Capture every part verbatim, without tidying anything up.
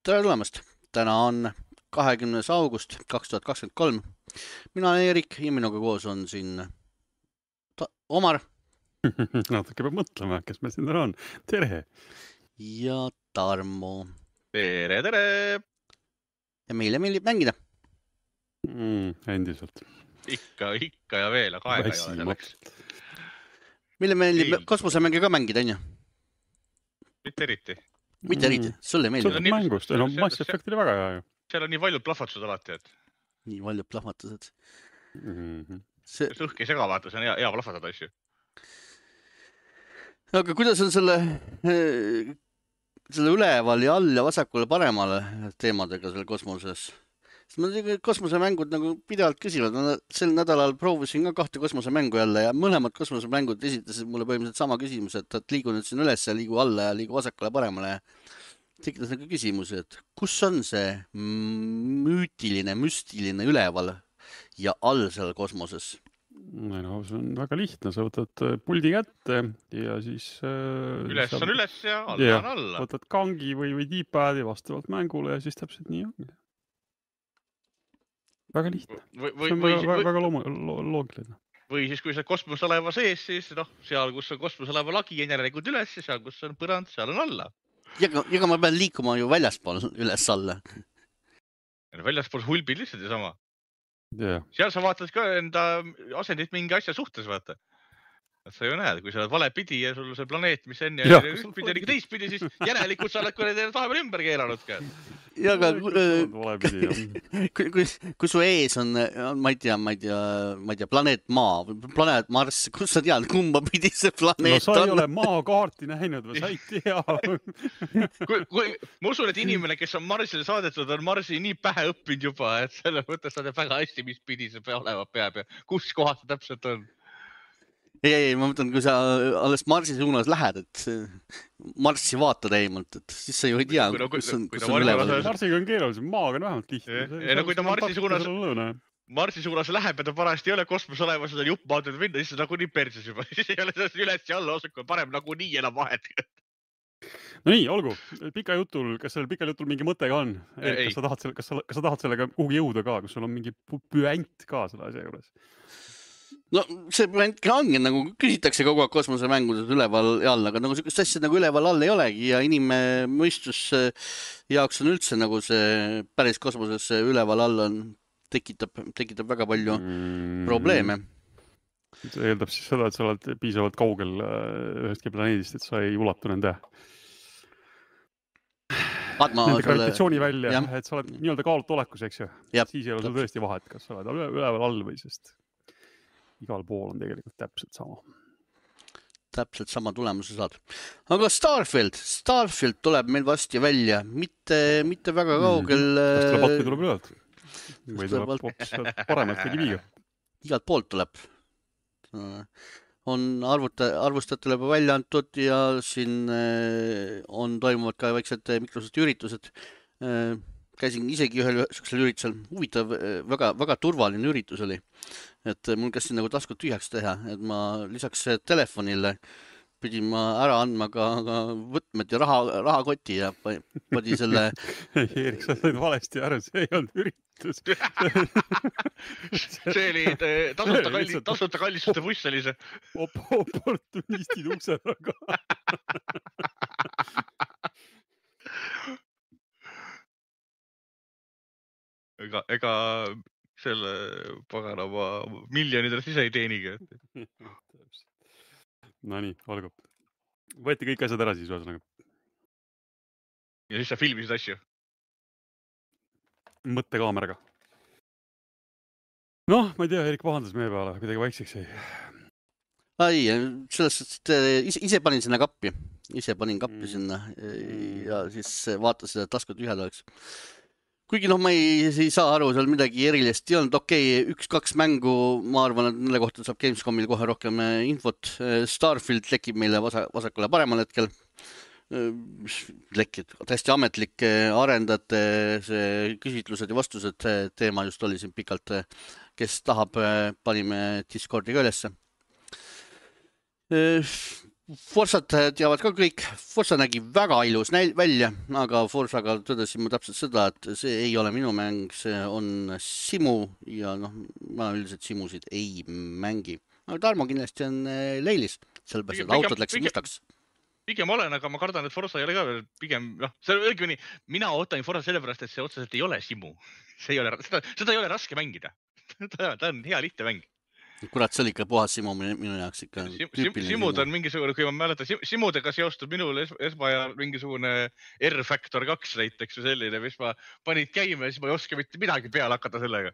tere tulemast! Täna on kahekümnes august kaks tuhat kakskümmend kolm. Mina olen Erik ja minuga koos on siin ta Omar. Natuke peab mõtlema, kes meil siin on. Tere! Ja Tarmo. Tere, tere! Ja meile meeldib mängida. Mm, endiselt. Ikka, ikka ja veel, aga aega ei ole selleks. Meile meeldib kosmosemänge ka mängida, on ju? Mitte eriti. Mitte eriti, sulle meeldib. Sulle mängust, no Mass Effect oli väga hea ju. Seal on nii paljud plahvatused alati, et... Nii paljud plahvatused. Mm-hmm. See... Õhk ei sega vaata, see on hea, hea plahvatada asju. Aga kuidas on selle, selle üleval ja all ja vasakule paremale teemadega selle kosmoses? Sest ma kosmosemängud nagu pidevalt küsivad. Ma sel nädalal proovisin ka kahte kosmosemängu jälle ja mõlemad kosmosemängud esitasid mulle põhimõtteliselt sama küsimus, et, et liigu nüüd siin üles ja liigu alla ja liigu vasakule paremale. Tekitas nagu küsimusi, et kus on see müütiline, müstiline üleval ja all seal kosmoses? No, see on väga lihtne, sa võtad puldi kätte ja siis... Üles on üles ja alla ja, on alla. Võtad kangi või, või D-padi vastavalt mängule ja siis täpselt nii ongi. Väga lihtne. Või, või, see on või, väga, või, väga loom, lo, loogiline. Või siis, kui sa kosmoseleva sees, siis noh, seal, kus on kosmoseleva lagi, on järelikult üles ja seal, kus on põrand, seal on alla. Ja, ja ma pean liikuma ju väljaspool üles alla. Väljaspool hulbid lihtsalt ja sama. Yeah. Seal sa vaatad ka enda asendit mingi asja suhtes, vaata. Et sa ju näed, kui sa oled vale pidi ja sul see planeet, mis enne ja, ja ühtpidi ja nagu teistpidi, siis järelikult sa oled kui need tahepeal ümber keeranud ka. Ja, aga kui, kui, kui su ees on, ma ei tea, ma ei tea, ma ei tea, planeet Maa, planeet Mars, kus sa tead, kumba pidi see planeet on? No sa ei ole maakaarti näinud või sa ei tea. kui, kui, ma usun, et inimene, kes on Marsile saadetud, on Marsi nii pähe õppinud juba, et selle mõttes sa tead väga hästi, mis pidi see olema peab ja kus kohas see täpselt on. Ei, ei, ma mõtlen, kui sa alles Marsi suunas lähed, et Marsi vaatad eemalt, et siis sa ju ei tea, kui, kus on, kui kus on üleval. Marsiga on keerulisem, maaga on vähemalt lihtne. Ei, no kui ta Marsi suunas, Marsi suunas läheb ja ta parajasti ei ole kosmos olemas, seda jupp maadud minna, siis nagu nii perses juba. Siis ei ole sellest üles ja alla osakul parem nagu nii enam vahet. No nii, olgu. Pika jutul, kas sellel pikal jutul mingi mõte ka on? Erik, kas sa tahad, kas sa, kas sa tahad sellega kuhugi jõuda ka, kus sul on mingi püent ka selle asja juures? No see püentki ongi, nagu küsitakse kogu aeg kosmosemängudes üleval ja all, aga nagu sellist asja nagu üleval all ei olegi ja inimmõistus jaoks on üldse nagu see päris kosmoses üleval all on, tekitab, tekitab väga palju mm. probleeme. See eeldab siis seda, et sa oled piisavalt kaugel ühestki planeedist, et sa ei ulatu nende Adma nende gravitatsiooni välja, ja. Et sa oled nii-öelda kaalult olekus, eks ju. Ja. Siis ei ole sul tõesti vahet, kas sa oled üleval all või sest igal pool on tegelikult täpselt sama. Täpselt sama tulemuse saad. Aga Starfield, Starfield tuleb meil vasti välja, mitte, mitte väga kaugel. Kas tuleb atmi tuleb ülealt? Või tuleb hoopis paremalt tegi viiga? Igalt poolt tuleb. On arvuta, arvustajatele juba välja antud ja siin on toimuvad ka väiksed Microsofti üritused. Käisin isegi ühel üheksel üritusel. Huvitav, väga, väga turvaline üritus oli. Et mul käis siin nagu taskut tühjaks teha, et ma lisaks telefonile pidin ma ära andma ka, ka võtmed ja raha, rahakoti ja padi selle... Erik, sa said valesti aru, see ei olnud üritus. see oli tasuta, kalli, tasuta kallistuste buss oli see. Oportunistid ukse taga. ega, ega selle paganama miljonidest ise ei teeniga. No nii, olgu. Võeti kõik asjad ära siis ühesõnaga. Ja siis sa filmisid asju? Mõttekaameraga. Noh, ma ei tea, Erik pahandas meie peale, midagi vaikseks ei. Ai, sellest, ise, ise panin sinna kappi. Ise panin kappi mm. sinna ja siis vaatasin, et taskut ühed oleks. Kuigi noh, ma ei, ei saa aru, seal midagi erilist ei olnud. Okei, üks-kaks mängu, ma arvan, et nende kohta saab Gamescomil kohe rohkem infot. Starfield lekib meile vasakule paremal hetkel. Lekid, täiesti ametlik arendajate see küsitlused ja vastused teema just oli siin pikalt. Kes tahab, panime Discordi ka ülesse. Forsat teavad ka kõik. Forsa nägi väga ilus näil- välja, aga Forsaga tõdesin ma täpselt seda, et see ei ole minu mäng, see on simu ja noh, ma üldiselt simusid ei mängi. Aga Tarmo kindlasti on leilis, sellepärast, et autod läks mustaks. Pigem olen, aga ma kardan, et Forsa ei ole ka veel pigem, noh, see on õigeni, mina ootan Forsa sellepärast, et see otseselt ei ole simu. See ei ole, seda, seda ei ole raske mängida. Ta, ta on hea lihtne mäng. Kurat, see oli ikka puhas simu minu jaoks ikka tüüpiline Simud simu. On mingisugune, kui ma mäletan, simudega seostub minul es, esmajal mingisugune R-Factor kaks näiteks või selline, mis ma panid käima ja siis ma ei oska mitte midagi peale hakata sellega.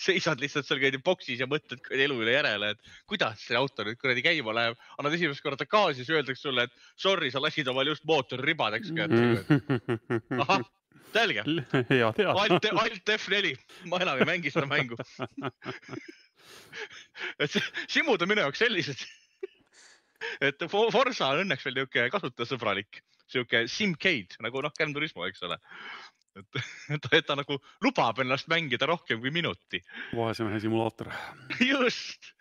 Seisad lihtsalt seal käidi boksis ja mõtled elu üle järele, et kuidas see auto nüüd kuradi käima läheb. Annad esimest korda gaasi, siis öeldakse sulle, et sorry, sa lasid omal just mootori ribadeks. Ahah, selge. Alt, alt F neli. Ma enam ei mängi seda mängu. Et simud on minu jaoks sellised, et Forsa on õnneks veel niuke kasutajasõbralik, siuke Simcade, nagu noh, Gran Turismo, eks ole. Et, et, et ta nagu lubab ennast mängida rohkem kui minuti. Vaesemehe simulaator. Just.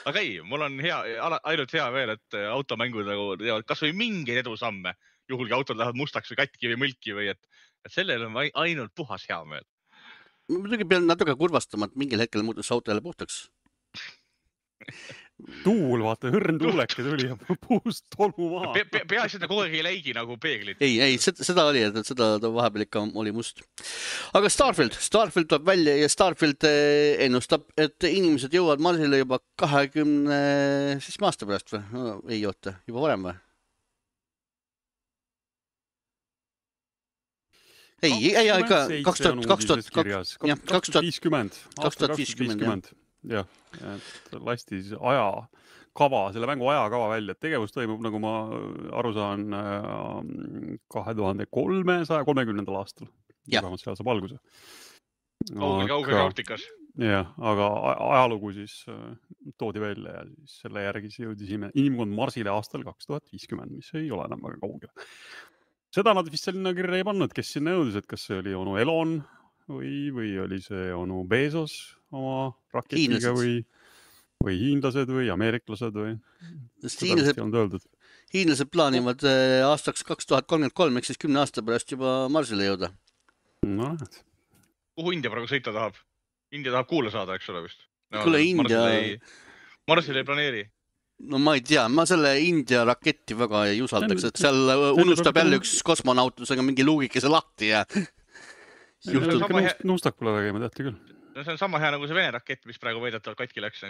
Aga ei, mul on hea, ainult hea veel, et automängud nagu teevad kas või mingeid edusamme, juhul kui autod lähevad mustaks või katki või mõlki või et, et sellel on ainult puhas hea meel. Ma muidugi pean natuke kurvastama, et mingil hetkel muutus auto jälle puhtaks. Tuul, vaata, hõrn tuuleke tuli ja puust tolmu maha. Pe, pe, peaasi, et ta kogu aeg ei läigi nagu peeglid. Ei, ei, seda, seda oli, et seda vahepeal ikka oli must. Aga Starfield, Starfield tuleb välja ja Starfield ennustab, et inimesed jõuavad Marsile juba kahekümne aasta pärast või? No, ei oota, juba varem või? Ei, ei, ei, ikka kaks tuhat viiskümmend. Jah, et lastis aja kava, selle mängu ajakava välja. Tegevus toimub, nagu ma aru saan, kahe tuhande kolmesaja kolmekümnendal aastal. Vähemalt seal saab alguse. Kauge, kauge galaktikas. Jah, aga ajalugu siis toodi välja ja siis selle järgi jõudisime inimkond Marsile aastal kaks tuhat viiskümmend, mis ei ole enam väga kaugel. Seda nad vist selline kirja ei pannud, kes sinna jõudis, et kas see oli onu Elon või, või oli see onu Bezos oma raketiga või, või hiinlased või ameeriklased või. Hiinlased, hiinlased plaanivad aastaks kaks tuhat kolmkümmend kolm, ehk siis kümne aasta pärast juba Marsile jõuda. No, et. Kuhu India praegu sõita tahab? India tahab kuule saada, eks ole vist. No, Kule India... Marsile ei, Marsile ei planeeri. No ma ei tea, ma selle India raketti väga ei usaldaks, et seal unustab jälle üks kosmonautusega mingi luugikese lahti ja nuustakule tegema tehti küll. No see on sama hea nagu see Vene rakett, mis praegu veidetavalt katki läks.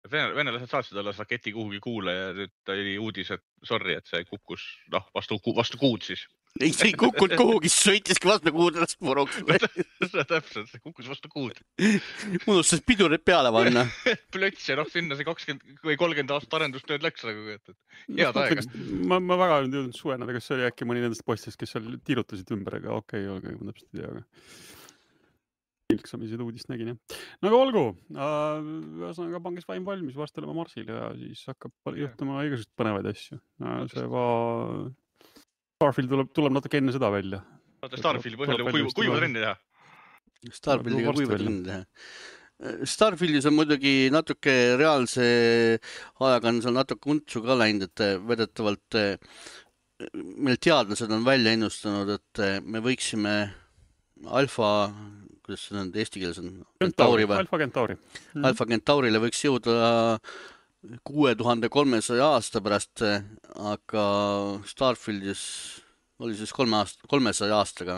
Venelased saatsid alles raketi kuhugi kuule ja nüüd ta oli uudis, et sorry, et see kukkus no, vastu, vastu kuud siis. Ei, see ei kukkud kuhugi, sõitiski vastu kuud ennast puruks. Täpselt, see kukkus vastu kuud. Unustas pidurid peale panna. Plöts ja noh, sinna see kakskümmend või kolmkümmend aastat arendustööd läks. Head aega. Ma, ma väga ei jõudnud suvenada, kas see oli äkki mõni nendest postist, kes seal tiirutasid ümber, aga okei, okay, ma täpselt ei tea. Aga... Ilksamised uudist nägin, jah. No aga olgu, ühesõnaga pangis vaim valmis, varsti olema Marsil ja siis hakkab juhtuma igasugust põnevaid asju. See va... Starfield tuleb, tuleb natuke enne seda välja. Starfieldi põhjal kuiva, kuiva trenni teha. Starfieldiga kuiva trenni teha. Starfieldis on muidugi natuke reaalse ajaga on seal natuke untsu ka läinud, et vedetavalt meil teadlased on välja ennustanud, et me võiksime alfa, kuidas see on eesti keeles on? Kentauri või? Alfa Kentauri. Alfa Kentaurile võiks jõuda kuue tuhande kolmesaja aasta pärast, aga Starfieldis oli siis kolme aasta, kolmesaja aastaga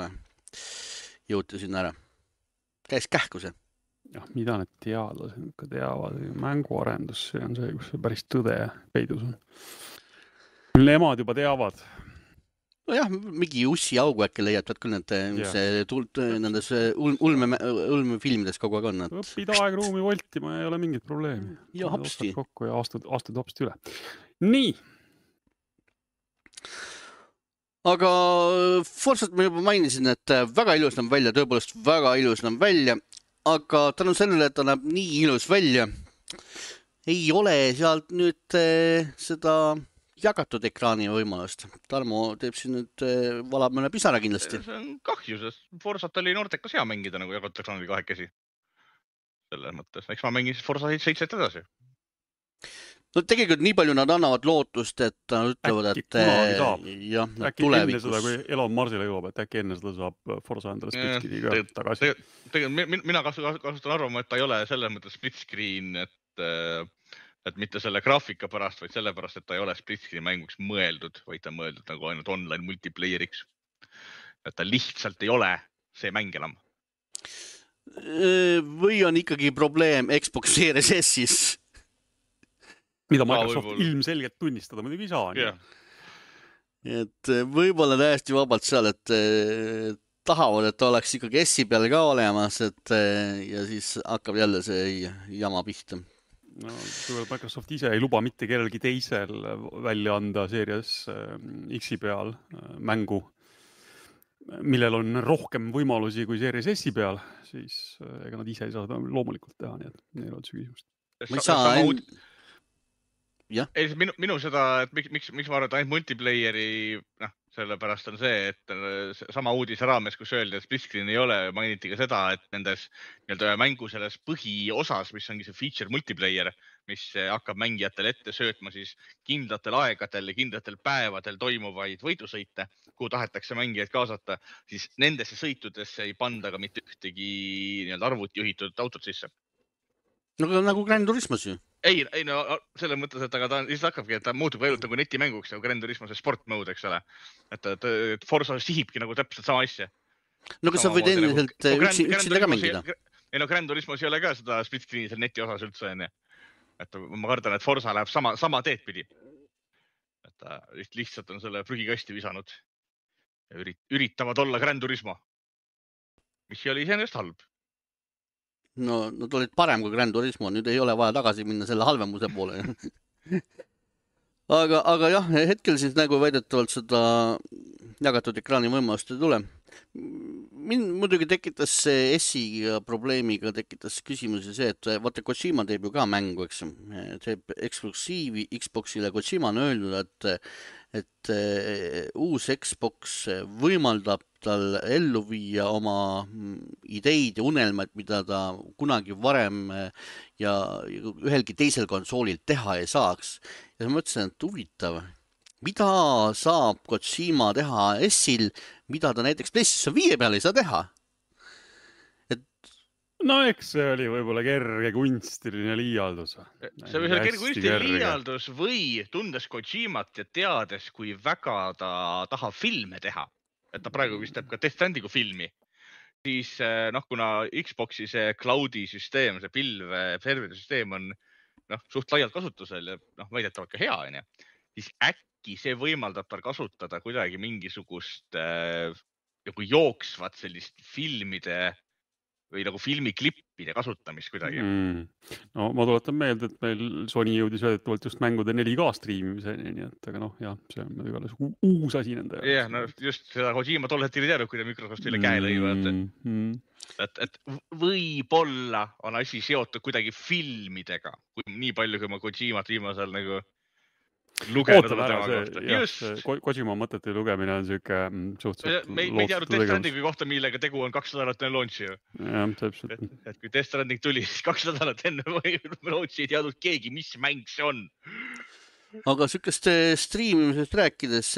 jõuti sinna ära. Käis kähku see. Ja, mida need teadlased ka teavad? Mänguarendus, see on see, kus see päris tõde peidus on. Nemad juba teavad. No jah, mingi ussi augu äkki leiatavad küll need, mis see tult, nendes ulme, ulme filmides kogu aeg on. Et... Õpid aegruumi voltima ei ole mingit probleemi. Ja hopsti. Kokku ja astud, astud hopsti üle. Nii. Aga Forsat ma juba mainisin, et väga ilus näeb välja, tõepoolest väga ilus näeb välja, aga tänu sellele, et ta näeb nii ilus välja, ei ole sealt nüüd seda... jagatud ekraani võimalust. Tarmo teeb siin nüüd valab mõne pisara kindlasti. See on kahju, sest Forsat oli noortekas hea mängida nagu jagatud ekraanil kahekesi. Selles mõttes. Eks ma mängin Forsa seitset edasi. No tegelikult nii palju nad annavad lootust, et nad ütlevad, Äkki et kunagi saab. jah, Äkki enne seda, tulevikus. kui Elon Marsile jõuab, et äkki enne seda saab Forza endale split screeniga Tegelikult- tagasi. Tegelikult tegelikult mi- mina kasu- kasutan arvama, et ta ei ole selles mõttes split screen, et, äh, et mitte selle graafika pärast, vaid sellepärast, et ta ei ole split screen mänguks mõeldud, vaid ta on mõeldud nagu ainult online multiplayeriks. Et ta lihtsalt ei ole see mäng enam. Või on ikkagi probleem Xbox Series S-is? Mida Aa, Microsoft võib-olla. ilmselgelt tunnistada muidugi ei saa. Jah. Et võib-olla täiesti vabalt seal, et eh, tahavad, et ta oleks ikkagi S-i peal ka olemas, et eh, ja siis hakkab jälle see jama pihta. No, kõigepealt Microsoft ise ei luba mitte kellelgi teisel välja anda Series X-i peal mängu, millel on rohkem võimalusi kui Series S-i peal, siis ega nad ise ei saa seda loomulikult teha, nii et neil on see küsimust. Ma ei saa en... jah. Ei, minu, minu seda, et miks, miks, miks ma arvan, et ainult multiplayeri, noh, sellepärast on see, et sama uudise raames, kus öeldi, et split screen ei ole, mainiti ka seda, et nendes nii-öelda mängu selles põhiosas, mis ongi see feature multiplayer, mis hakkab mängijatele ette söötma siis kindlatel aegadel ja kindlatel päevadel toimuvaid võidusõite, kuhu tahetakse mängijaid kaasata, siis nendesse sõitudesse ei panda ka mitte ühtegi nii-öelda arvuti juhitud autot sisse. No nagu Gran Turismos ju. Ei, ei no selles mõttes, et aga ta lihtsalt hakkabki, et ta muutub ainult nagu netimänguks nagu Gran Turismo see sport mode, eks ole. Et, et, et Forza sihibki nagu täpselt sama asja. No kas sa võid endiselt nagu, üksi, üksinda ka mängida? Ei no Gran Turismos ei ole ka seda split screen'i seal neti osas üldse enne. Et ma kardan, et Forza läheb sama, sama teed pidi. Et ta lihtsalt on selle prügikasti visanud. Ja üritavad olla Gran Turismo. Mis oli iseenesest halb. No, nad olid parem kui Gran Turismo, nüüd ei ole vaja tagasi minna selle halvemuse poole. aga, aga jah, hetkel siis nagu väidetavalt seda jagatud ekraani võimalust ei tule. Mind muidugi tekitas see S-iga probleemiga, tekitas küsimusi see, et vaata Kojima teeb ju ka mängu, eks teeb eksklusiivi Xboxile. Kojima on öelnud, et, et uus Xbox võimaldab tal ellu viia oma ideid ja unelmad, mida ta kunagi varem ja ühelgi teisel konsoolil teha ei saaks. Ja ma mõtlesin, et huvitav, mida saab Kojima teha S-il, mida ta näiteks PlayStation viie peal ei saa teha? Et... No eks see oli võib-olla kerge kunstiline liialdus. See oli kerge kunstiline liialdus või tundes Kojimat ja teades, kui väga ta tahab filme teha, et ta praegu vist teeb ka Death Strandingu filmi, siis noh, kuna Xboxi see cloudi süsteem, see pilv, serveri süsteem on noh, suht laialt kasutusel ja noh, väidetavalt ka hea, on ja, siis äkki see võimaldab tal kasutada kuidagi mingisugust äh, nagu jooksvat sellist filmide või nagu filmiklippide kasutamist kuidagi. Mm. No ma tuletan meelde, et meil Sony jõudis väidetavalt just mängude neli K striimimiseni, nii et aga noh, jah, see on igales uus asi nende. Jah, no just seda Kojima tol hetkel ei teadnud, kui ta Microsoft üle käe lõivad. Mm. Et, et võib-olla on asi seotud kuidagi filmidega, kui nii palju, kui ma Kojimat viimasel nagu lugenud tema kohta. Just. Kojima mõtete lugemine on siuke suhteliselt me, me ei teadnud Death Strandingu kohta, millega tegu on kaks nädalat enne launchi ju. Ja, täpselt. Et, et kui Death Stranding tuli, siis kaks nädalat enne launchi ei teadnud keegi, mis mäng see on. Aga sükest striimimisest rääkides,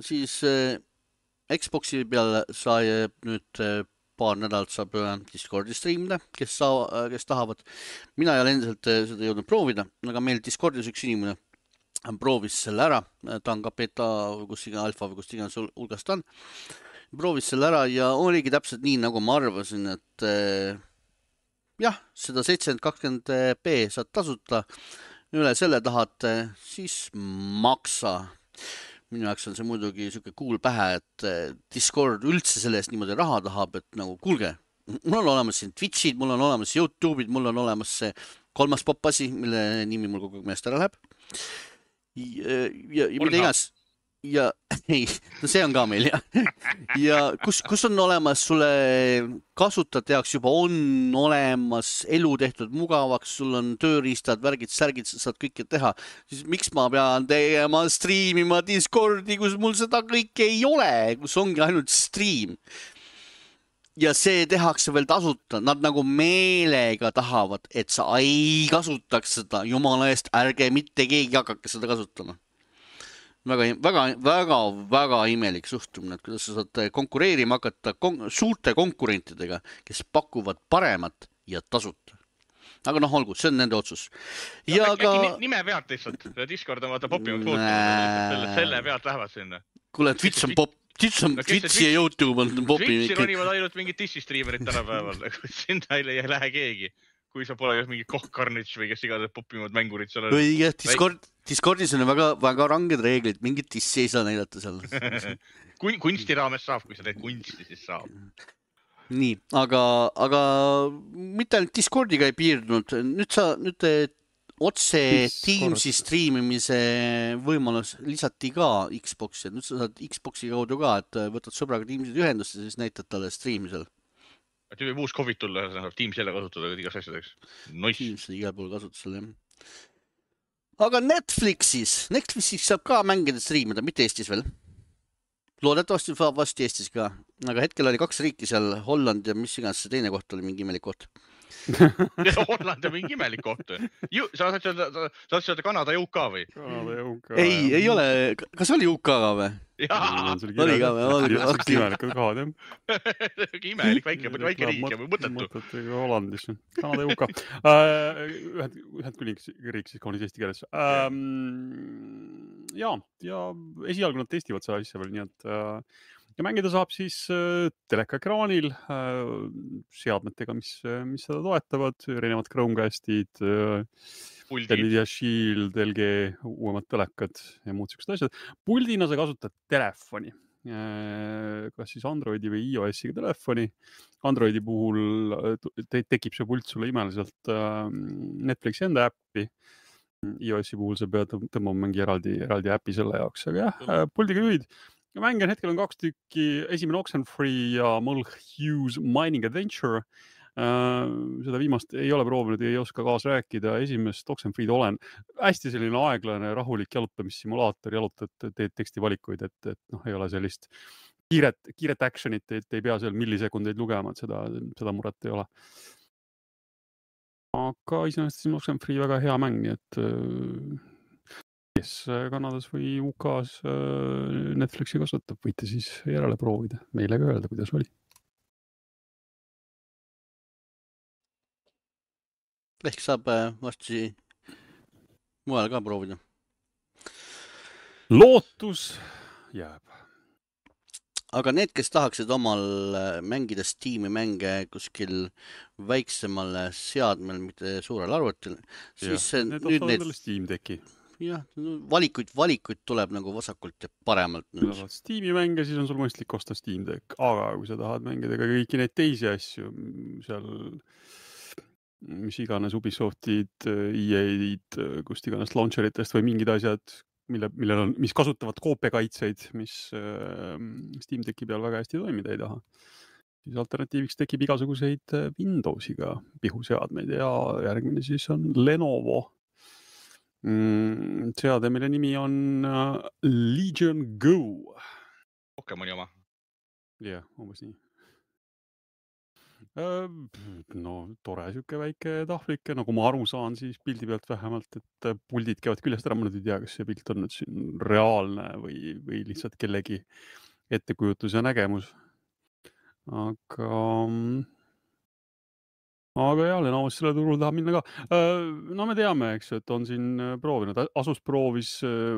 siis Xboxi peal sai nüüd paar nädalat saab Discordi striimida, kes, saa, kes tahavad. Mina ei ole endiselt seda jõudnud proovida, aga meil Discordis üks inimene proovis selle ära, ta on ka beta või kus iga alfa või kus iganes hulgast on, proovis selle ära ja oligi täpselt nii, nagu ma arvasin, et jah, seda seitsekümmend kakskümmend p saad tasuta, üle selle tahad, siis maksa. Minu jaoks on see muidugi siuke kuul pähe, et Discord üldse sellest niimoodi raha tahab, et nagu kuulge, mul on olemas siin Twitchid, mul on olemas YouTube'id, mul on olemas see kolmas popasi, mille nimi mul kogu meelest ära läheb. Ja, ja, ja mida igas ja ei, no see on ka meil ja, ja kus, kus on olemas sulle kasutajate jaoks juba on olemas elu tehtud mugavaks, sul on tööriistad, värgid, särgid, saad kõike teha, siis miks ma pean tegema striimima Discordi, kus mul seda kõike ei ole, kus ongi ainult stream. ja see tehakse veel tasuta, nad nagu meelega tahavad, et sa ei kasutaks seda, jumala eest, ärge mitte keegi hakake seda kasutama. Väga, väga, väga, väga imelik suhtumine, et kuidas sa saad konkureerima hakata kon suurte konkurentidega, kes pakuvad paremat ja tasuta. Aga noh, olgu, see on nende otsus. Ja äkki ka... nime pealt lihtsalt, Discord on vaata popimaks muutunud, selle pealt lähevad sinna. Kuule, Twitch on pop, Twitch on, no, Twitch ja YouTube on popim. Twitchi ronivad ainult mingid Dissi-striimerid tänapäeval, sinna ei lähe keegi. Kui sa pole mingi Koh Carnage või kes igatahes popimad mängurid seal. Õige, Discord, Discordis on väga, väga ranged reeglid, mingid dissi ei saa näidata seal. Kunsti raames saab, kui sa teed kunsti, siis saab. Nii, aga, aga mitte ainult Discordiga ei piirdunud. Nüüd sa, nüüd otse Teamsi striimimise võimalus lisati ka Xboxi. Nüüd sa saad Xboxi kaudu ka, et võtad sõbraga Teamsid ühendust ja siis näitad talle striimisel. Et võib uus Covid tulla, saab Teams jälle kasutada igas asjadeks. Nois. Teams igal pool kasutusel, jah. Aga Netflixis, Netflixis saab ka mängida striimida, mitte Eestis veel. Loodetavasti saab vasti Eestis ka. Aga hetkel oli kaks riiki seal, Holland ja mis iganes see teine koht oli, mingi imelik koht. Holland on mingi imelik koht. Sa saad öelda Kanada ja U K või? Kanada ja U K. Ei, ei ole. Kas oli U K ka või? Jaa. Oli ka või? Imelikud kohad, jah. Imelik väike, väike riik ja mõttetu. Mõttetu Hollandis. Kanada ja U K. Ühed küll riik siis kaunis eesti keeles. Ja, ja esialgu nad testivad seda asja veel, nii et ja mängida saab siis telekaekraanil seadmetega, mis, mis seda toetavad, erinevad Chromecastid, Nvidia Shield, L G, uuemad telekad ja muud sellised asjad. Puldina sa kasutad telefoni, kas siis Androidi või iOS-iga telefoni. Androidi puhul tekib see pult sulle imeliselt Netflixi enda äppi. iOS-i puhul sa pead tõmbama mingi eraldi, eraldi äppi selle jaoks, aga jah, puldiga juhid. Mängen hetkel on kaks tükki, esimene Oxenfree ja Mulch Hughes Mining Adventure. Seda viimast ei ole proovinud, ei oska kaas rääkida. Esimest Oxenfree'd olen. Hästi selline aeglane, rahulik jalutamissimulaator, jalutad, teed tekstivalikuid, et, et noh, ei ole sellist kiiret, kiiret actionit, et ei pea seal millisekundeid lugema, et seda, seda muret ei ole. Aga iseenesest siin Oxenfree väga hea mäng, nii et kes Kanadas või U K-s Netflixi kasutab, võite siis järele proovida. Meile ka öelda, kuidas oli. Ehk saab vasti mujal ka proovida. Lootus jääb. Aga need, kes tahaksid omal mängida Steam'i mänge kuskil väiksemal seadmel, mitte suurel arvutil, siis ja, need nüüd need Steam teki. Jah, valikuid, valikuid tuleb nagu vasakult ja paremalt. Steam'i mänge, siis on sul mõistlik osta Steam Deck, aga kui sa tahad mängida ka kõiki neid teisi asju, seal mis iganes Ubisoftid, E A-d, kust iganes launcheritest või mingid asjad, mille, millel on, mis kasutavad koopiakaitseid, mis Steam Decki peal väga hästi toimida ei taha. Siis alternatiiviks tekib igasuguseid Windowsiga pihuseadmeid ja järgmine siis on Lenovo. Seade, mille nimi on Legion Go. Pokemoni oma. Jah, umbes nii. No, tore süke väike tahvlike, nagu ma aru saan, siis pildi pealt vähemalt, et puldid käivad küljest ära, ma nüüd ei tea, kas see pilt on nüüd siin reaalne või, või lihtsalt kellegi ettekujutus ja nägemus. Aga... Aga jah, Lenovo's selle turul tahab minna ka. No me teame, eks, et on siin proovinud. Asus proovis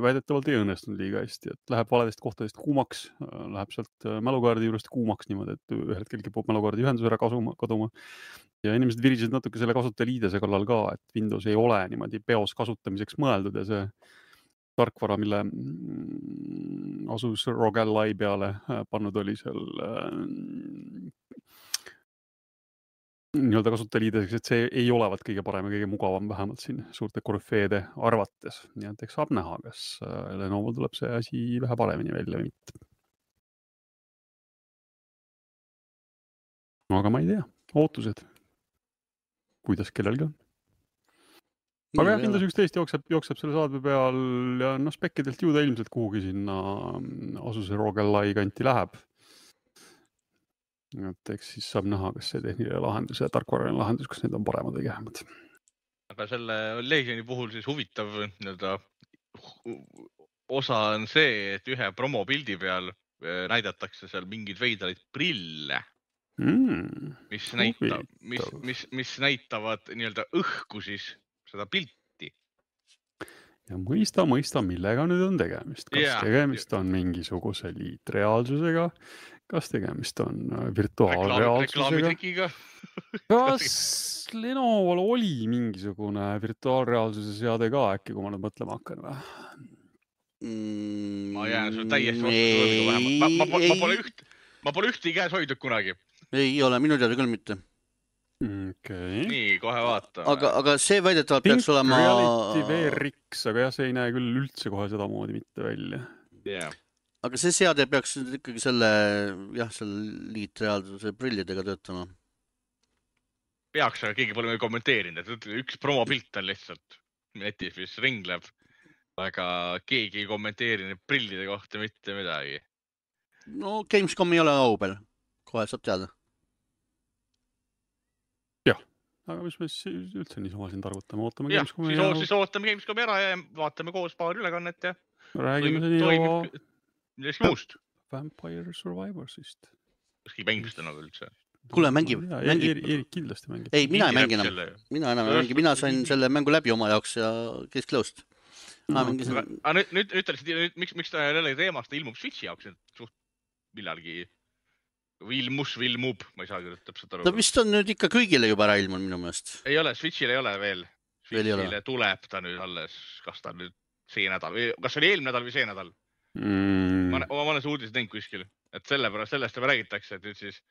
väidetavalt ei õnnestunud liiga hästi, et läheb valedest kohtadest kuumaks, läheb sealt mälukaardi juurest kuumaks niimoodi, et ühel hetkel kipub mälukaardi ühendus ära kasuma, kaduma. Ja inimesed virisid natuke selle kasutajaliidese kallal ka, et Windows ei ole niimoodi peos kasutamiseks mõeldud ja see tarkvara, mille Asus R O G Ally peale pannud oli seal nii-öelda kasutajaliideseks, et see ei olevat kõige parem ja kõige mugavam vähemalt siin suurte korüfeede arvates. Nii et eks saab näha, kas Lenovo tuleb see asi vähe paremini välja või mitte. Aga ma ei tea, ootused. Kuidas kellelgi on. Aga jah, Windows üksteist jookseb, jookseb selle saadme peal ja no spekkidelt juuda ilmselt kuhugi sinna Asuse R O G Ally kanti läheb. et eks siis saab näha, kas see tehniline lahendus ja tarkvaraline lahendus, kas need on paremad või kehvemad. Aga selle Legioni puhul siis huvitav nii-öelda osa on see, et ühe promopildi peal näidatakse seal mingeid veidraid prille, Mm, mis, näitab, mis, mis, mis näitavad nii-öelda õhku siis seda pilti. Ja mõista, mõista, millega nüüd on tegemist. Kas Yeah. tegemist on mingisuguse liitreaalsusega? Kas tegemist on virtuaalreaalsusega? Reklaamitrikiga. Kas Lenovo'l oli mingisugune virtuaalreaalsuse seade ka äkki, kui ma nüüd mõtlema hakkan või? Ma jään sul täiesti vastu vähemalt. Ma, ma, ma, pole üht, ma pole ühti käes hoidnud kunagi. Ei ole, minu teada küll mitte. Okay. Nii, kohe vaatame. Aga, aga see väidetavalt peaks olema... Reality V R X, aga jah, see ei näe küll üldse kohe seda moodi mitte välja. Yeah. Aga see seade peaks ikkagi selle, jah, selle liitreaalsuse prillidega töötama. Peaks, aga keegi pole meil kommenteerinud, et üks promopilt on lihtsalt netis, mis ringleb, aga keegi ei kommenteerinud prillide kohta mitte midagi. No Gamescom ei ole aubel, kohe saab teada. Jah, aga mis me siis üldse nii sama siin targutame, ootame jah, Gamescomi siis, ja... siis ootame Gamescomi ära ja vaatame koos paar ülekannet ja räägime see nii oma... Millestki muust. Vampire Survivorsist. Kas mängib seda nagu üldse? Kuule, mängib. mängib. Erik kindlasti mängib. Ei, mina ei mängi enam. Mina enam ei mängi. Mina sain selle mängu läbi oma jaoks ja kesklõust. No, mängisin... aga nüüd, nüüd, nüüd, nüüd, miks, miks ta jälle teemast ilmub Switchi jaoks suht millalgi Vilmus, Vilmub, ma ei saa küll täpselt aru. Ta vist on nüüd ikka kõigile juba ära ilmunud minu meelest. Ei ole, Switchile ei ole veel. Switchile veel tuleb ta nüüd alles, kas ta nüüd see nädal või kas oli eelmine nädal või see nädal? Mm. Ma, ma olen see uudis teinud kuskil, et sellepärast sellest juba räägitakse, et nüüd siis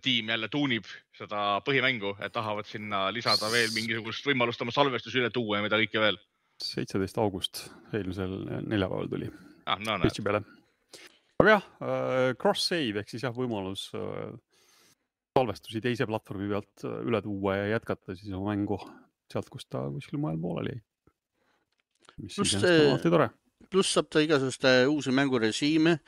tiim jälle tuunib seda põhimängu, et tahavad sinna lisada veel mingisugust võimalust oma salvestus üle tuua ja mida kõike veel. seitseteist august eelmisel neljapäeval tuli ah, no, Switchi peale. Aga jah, cross-save ehk siis jah võimalus salvestusi teise platvormi pealt üle tuua ja jätkata siis oma mängu sealt, kus ta kuskil mujal pooleli jäi. Mis siis on alati tore. Pluss saab ta igasuguste uusi mängurežiime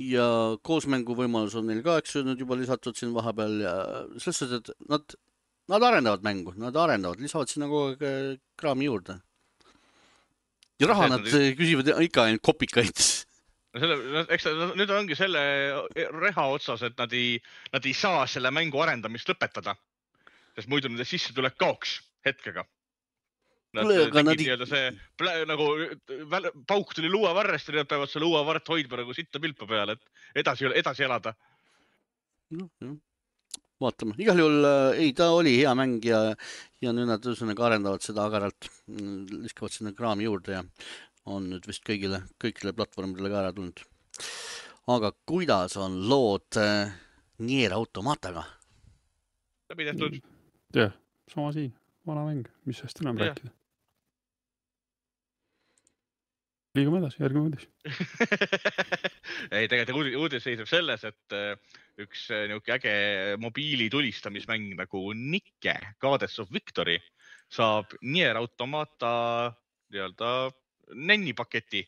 ja koosmängu võimalus on neil ka, eks nüüd juba lisatud siin vahepeal ja selles suhtes, et nad, nad arendavad mängu, nad arendavad, lisavad sinna kogu aeg kraami juurde. Ja raha nad küsivad ikka ainult kopikaid. No selle, eks nüüd ongi selle reha otsas, et nad ei, nad ei saa selle mängu arendamist lõpetada, sest muidu nende sisse tuleb kaoks hetkega. Nad tegid nii-öelda see nagu pauk tuli luuavarrest ja nad peavad selle luuavarret hoidma nagu sitta pilpa peale, et edasi, edasi elada. No, vaatame. Igal juhul ei, ta oli hea mäng ja, ja nüüd nad üsõnaga arendavad seda agaralt, liskavad sinna kraami juurde ja on nüüd vist kõigile, kõikile platvormidele ka ära tulnud. Aga kuidas on lood Nier Automataga? Läbi tehtud. Jah, sama siin, vana mäng, mis hästi enam rääkida. Liigume edasi, järgime uudis. ei, tegelikult uudis seisab selles, et üks niuke äge mobiili tulistamismäng nagu Nike, Goddess of Victory, saab Nier Automata nii-öelda nennipaketi,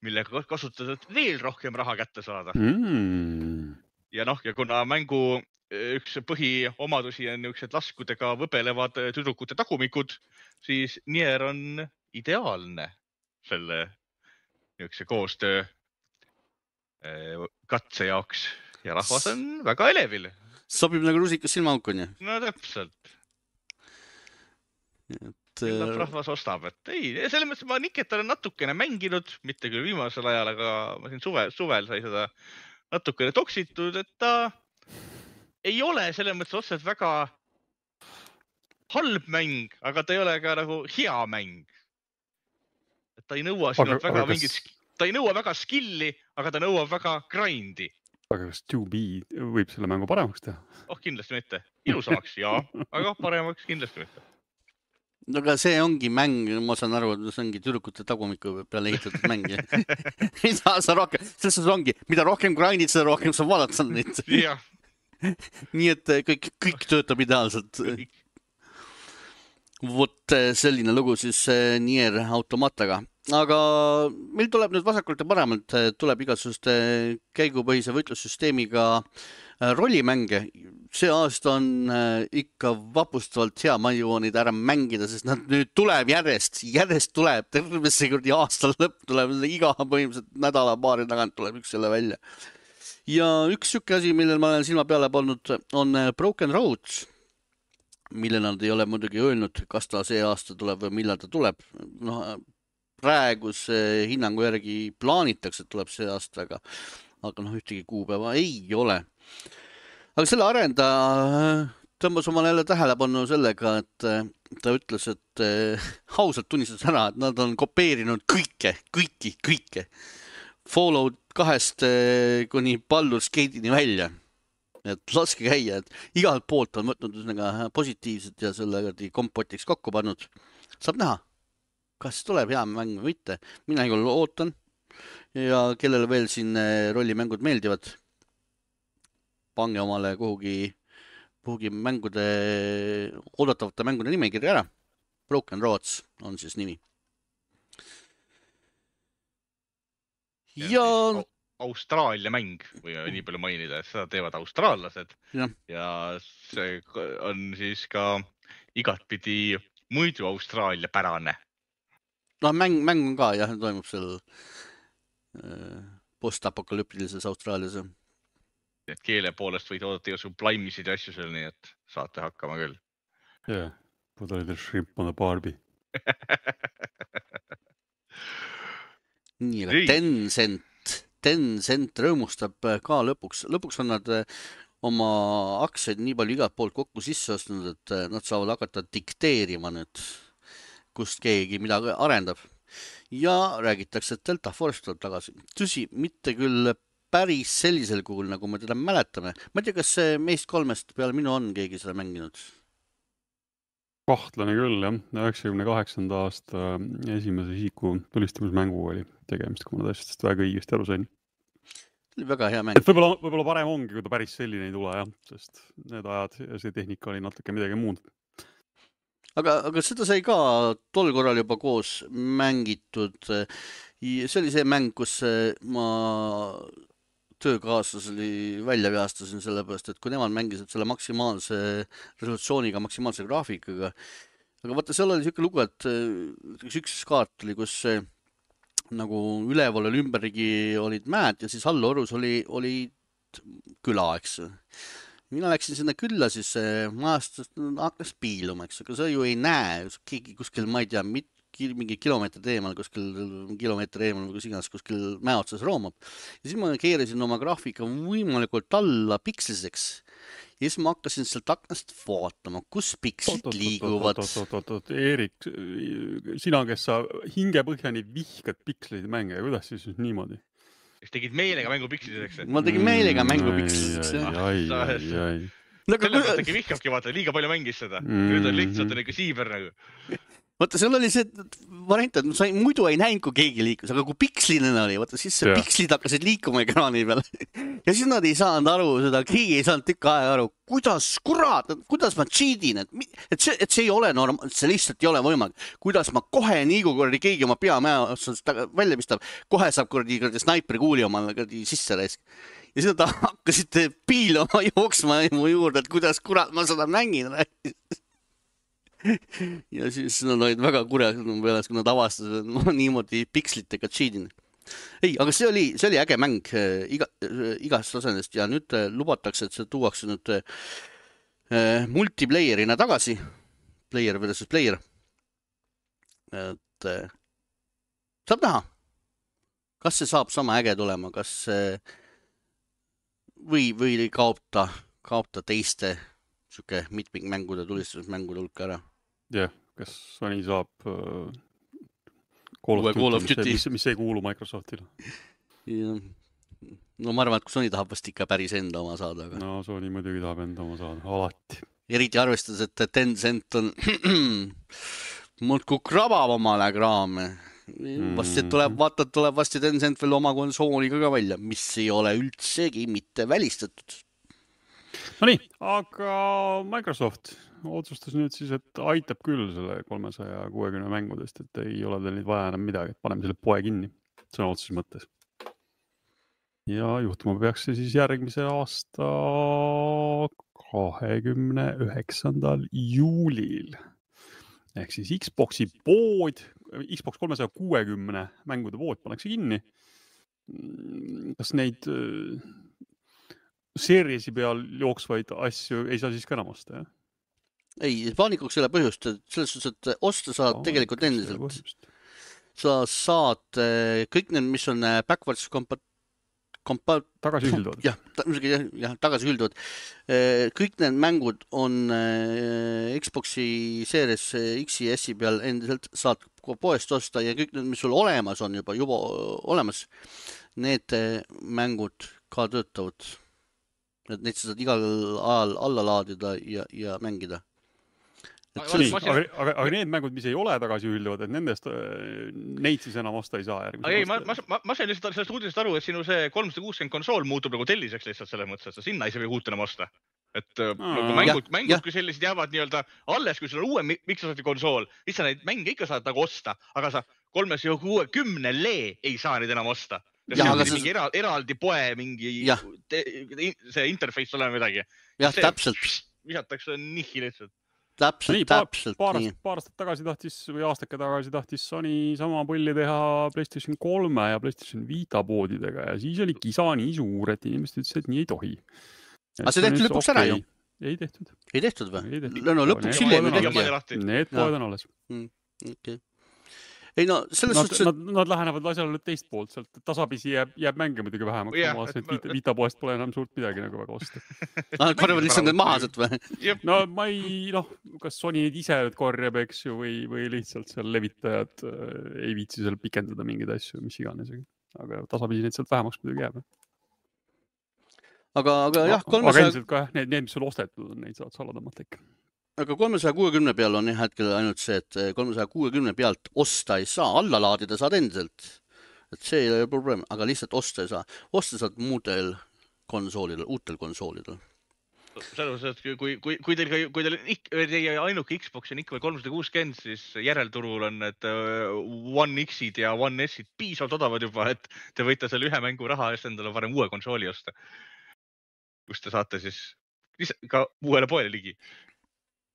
millega kasutada veel rohkem raha kätte saada. Mm. Ja noh, ja kuna mängu üks põhiomadusi on niisugused laskudega võbelevad tüdrukute tagumikud, siis Nier on ideaalne selle niisuguse koostöö katse jaoks ja rahvas on väga elevil. Sobib nagu rusikas silmaukuni. No täpselt. Et... Millal rahvas ostab, et ei, selles mõttes ma Niket olen natukene mänginud, mitte küll viimasel ajal, aga ma siin suvel, suvel sai seda natukene toksitud, et ta ei ole selles mõttes otseselt väga halb mäng, aga ta ei ole ka nagu hea mäng. Et ta ei nõua sinult väga kas... mingit, ta ei nõua väga skilli, aga ta nõuab väga grindi. Aga kas two B võib selle mängu paremaks teha? Oh, kindlasti mitte. Ilusamaks, jaa, aga paremaks kindlasti mitte. No aga see ongi mäng, ma saan aru, et see ongi tüdrukute tagumiku peale ehitatud mäng. Mida sa rohkem, selles ongi, mida rohkem grindid, seda rohkem sa vaadata neid. Jah. Nii et kõik, kõik töötab ideaalselt. Vot selline lugu siis Nier Automataga. Aga meil tuleb nüüd vasakult ja paremalt, tuleb igasuguste käigupõhise võitlussüsteemiga rollimänge, see aasta on ikka vapustavalt hea, ma jõuan neid ära mängida, sest nad nüüd tuleb järjest, järjest tuleb, terve see kuradi aasta lõpp tuleb, iga põhimõtteliselt nädala paari tagant tuleb üks selle välja. Ja üks siuke asi, millel ma olen silma peale pannud, on Broken Roads, mille nad ei ole muidugi öelnud, kas ta see aasta tuleb või millal ta tuleb. No, praeguse hinnangu järgi plaanitakse, et tuleb see aasta, aga, aga noh, ühtegi kuupäeva ei ole. Aga selle arendaja tõmbas omal jälle tähelepanu sellega, et ta ütles, et hausalt tunnistas ära, et nad on kopeerinud kõike, kõiki, kõike. Fallout kahest kuni Baldur's Gate'ini välja. Et laske käia, et igalt poolt on võtnud üsnega positiivset ja selle kompotiks kokku pannud. Saab näha, kas tuleb hea mäng või mitte. Mina igal ootan ja kellele veel siin rollimängud meeldivad, pange omale kuhugi, kuhugi mängude, oodatavate mängude nimekirja ära. Broken Roads on siis nimi. Ja... Austraalia mäng, või nii palju mainida, et seda teevad austraallased. Ja, ja see on siis ka igatpidi muidu Austraalia pärane. No mäng, mäng on ka, jah, toimub seal postapokalyptilises Austraalias. Et keele poolest võid oodata iga sublime'isid ja asju seal, nii et saate hakkama küll. Yeah, put a little shrimp on the Barbie. Nii, aga Tencent, Tencent rõõmustab ka lõpuks. Lõpuks on nad oma aktsiaid nii palju igalt poolt kokku sisse ostnud, et nad saavad hakata dikteerima nüüd, kust keegi midagi arendab. Ja räägitakse, et Delta Force tuleb tagasi. Tõsi, mitte küll päris sellisel kujul, nagu me teda mäletame. Ma ei tea, kas meist kolmest peale minu on keegi seda mänginud? Kahtlane küll, jah. üheksakümne kaheksanda aasta esimese isiku tulistamismängu oli tegemist, kui ma täiesti väga õigesti aru sain. Oli väga hea mäng. Et võib-olla, võib-olla parem ongi, kui ta päris selline ei tule, jah, sest need ajad ja see tehnika oli natuke midagi muud. Aga, aga seda sai ka tol korral juba koos mängitud. See oli see mäng, kus ma töökaaslaseli välja veastasin sellepärast, et kui nemad mängisid selle maksimaalse resolutsiooniga, maksimaalse graafikaga. Aga vaata, seal oli siuke lugu, et üks kaart oli, kus nagu üleval oli ümberigi olid mäed ja siis allorus oli, oli küla, eks. Mina läksin sinna külla, siis majast hakkas piiluma, eks. Aga sa ju ei näe, keegi kuskil, ma ei tea, mit, mingi kilomeetri teemal, kuskil kilomeetri eemal või kus iganes, kuskil mäe otsas roomab. Ja siis ma keerasin oma graafika võimalikult alla piksliseks. Ja siis ma hakkasin sealt aknast vaatama, kus pikslid liiguvad. Eerik, sina, kes sa hingepõhjani vihkad piksleid mänge, kuidas siis niimoodi? Kas tegid meelega mängu piksliseks? Ma tegin meelega mängu piksliseks. Ai, ai, ai. Sellepärast tegi vihkabki, vaata, liiga palju mängis seda. Nüüd on lihtsalt on ikka siiber nagu. Vaata, seal oli see variant, et sa muidu ei näinud, kui keegi liikus, aga kui pikslinena oli, vaata, siis see ja. Pikslid hakkasid liikuma ekraani peal. Ja siis nad ei saanud aru seda, keegi ei saanud tükk aega aru, kuidas, kurat, kuidas ma cheatin, et, et, see, et see ei ole norm, see lihtsalt ei ole võimalik. Kuidas ma kohe nii, kui kordi keegi oma peamäe otsast välja pistab, kohe saab kordi, kordi snaipri kuuli oma kordi sisse raisk. Ja siis nad hakkasid piilama jooksma mu juurde, et kuidas kurat ma seda mängin. Ja siis nad olid väga kurjad peales, kui nad avastasid, et ma niimoodi pikslitega cheatin. Ei, aga see oli, see oli äge mäng iga, igast osendest ja nüüd lubatakse, et see tuuakse nüüd äh, multiplayerina tagasi. Player versus player. Et äh, saab näha, kas see saab sama äge tulema, kas äh, või, või kaob ta, kaob ta teiste siuke mitmikmängude, tulistusmängude hulka ära. Jah, kas Sony saab uh, Call of Duty, mis, mis ei kuulu Microsoftile? Ja. No ma arvan, et kui Sony tahab vast ikka päris enda oma saada. Aga... No Sony muidugi tahab enda oma saada, alati. Eriti arvestades, et Tencent on muudku krabab omale kraame. Vasti tuleb, vaata, tuleb vasti Tencent veel oma konsooliga ka välja, mis ei ole üldsegi mitte välistatud. No nii, aga Microsoft otsustas nüüd siis, et aitab küll selle kolmesaja kuuekümne mängudest, et ei ole teil nüüd vaja enam midagi, et paneme selle poe kinni. See on otsus mõttes. ja juhtuma peaks see siis järgmise aasta kahekümne üheksandal juulil. Ehk siis Xboxi pood, Xbox kolmesaja kuuekümne mängude pood pannakse kinni. Kas neid seeriesi peal jooksvaid asju ei saa siis ka enam osta, jah? Ei, paanikuks ei ole põhjust, selles suhtes, et osta saad oh, tegelikult endiselt. Sa saad kõik need, mis on backwards compat- kompa- tagasi ühilduvad. Jah, ta, jah, jah, tagasi ühilduvad. Kõik need mängud on Xboxi Series X-i ja S-i peal endiselt saad poest osta ja kõik need, mis sul olemas on juba, juba olemas, need mängud ka töötavad. Et neid sa saad igal ajal alla laadida ja, ja mängida. Nii, aga, aga, aga need mängud, mis ei ole tagasi ühilduvad, et nendest neid siis enam osta ei saa järgmise. Ei, ma, ma, ma sain lihtsalt sellest uudisest aru, et sinu see kolmsada kuuskümmend konsool muutub nagu telliseks lihtsalt selles mõttes, et sa sinna ei saa uut enam osta. Et Aa, nagu mängud, ja, mängud ja. Kui sellised jäävad nii-öelda alles, kui sul on uue Microsofti konsool, siis sa neid mänge ikka saad nagu osta, aga sa kolmesaja kuuekümnele ei saa neid enam osta. Ja, ja see on mingi eral, eraldi poe, mingi te, see interface ole midagi. Jah, see, täpselt. Visatakse nihi lihtsalt. Täpselt, nii, täpselt. Paar, nii. paar aastat tagasi tahtis või aastake tagasi tahtis Sony sama pulli teha PlayStation kolme ja PlayStation Vita poodidega ja siis oli kisa nii suur, et inimesed ütles, et nii ei tohi. Aga see tehti lõpuks ära ju? Ei tehtud. Ei tehtud või? Ei tehtud. No lõpuks hiljem ei tehti. Need poed on alles. Mm, okay. Ei no, selles nad, suhtes... Nad, nad lähenevad asjale teist poolt, sealt tasapisi jääb, jääb mänge muidugi vähemaks, yeah, ma vaatasin, et Vita, Vita poest pole enam suurt midagi nagu väga osta. Nad korjavad lihtsalt need mahased või? No ma ei, noh, kas Sony ise korjab, eks ju, või, või lihtsalt seal levitajad äh, ei viitsi seal pikendada mingeid asju, mis iganes. Aga tasapisi neid sealt vähemaks muidugi jääb. Aga, aga jah, kolmesaja... Aga ilmselt ka need, need, mis sul ostetud on, neid saad saladamalt ikka. Aga kolmesaja kuuekümne peal on jah hetkel ainult see, et kolmesaja kuuekümne pealt osta ei saa, alla laadida saad endiselt. Et see ei ole probleem, aga lihtsalt osta ei saa. Osta saad muudel konsoolidel, uutel konsoolidel. Selles, et kui, kui, kui teil, kui teil teie ainuke Xbox on ikka veel kolmsada kuuskümmend, siis järelturul on need One X-id ja One S-id piisavalt odavad juba, et te võite selle ühe mängu raha eest endale varem uue konsooli osta. Kus te saate siis ka uuele poele ligi.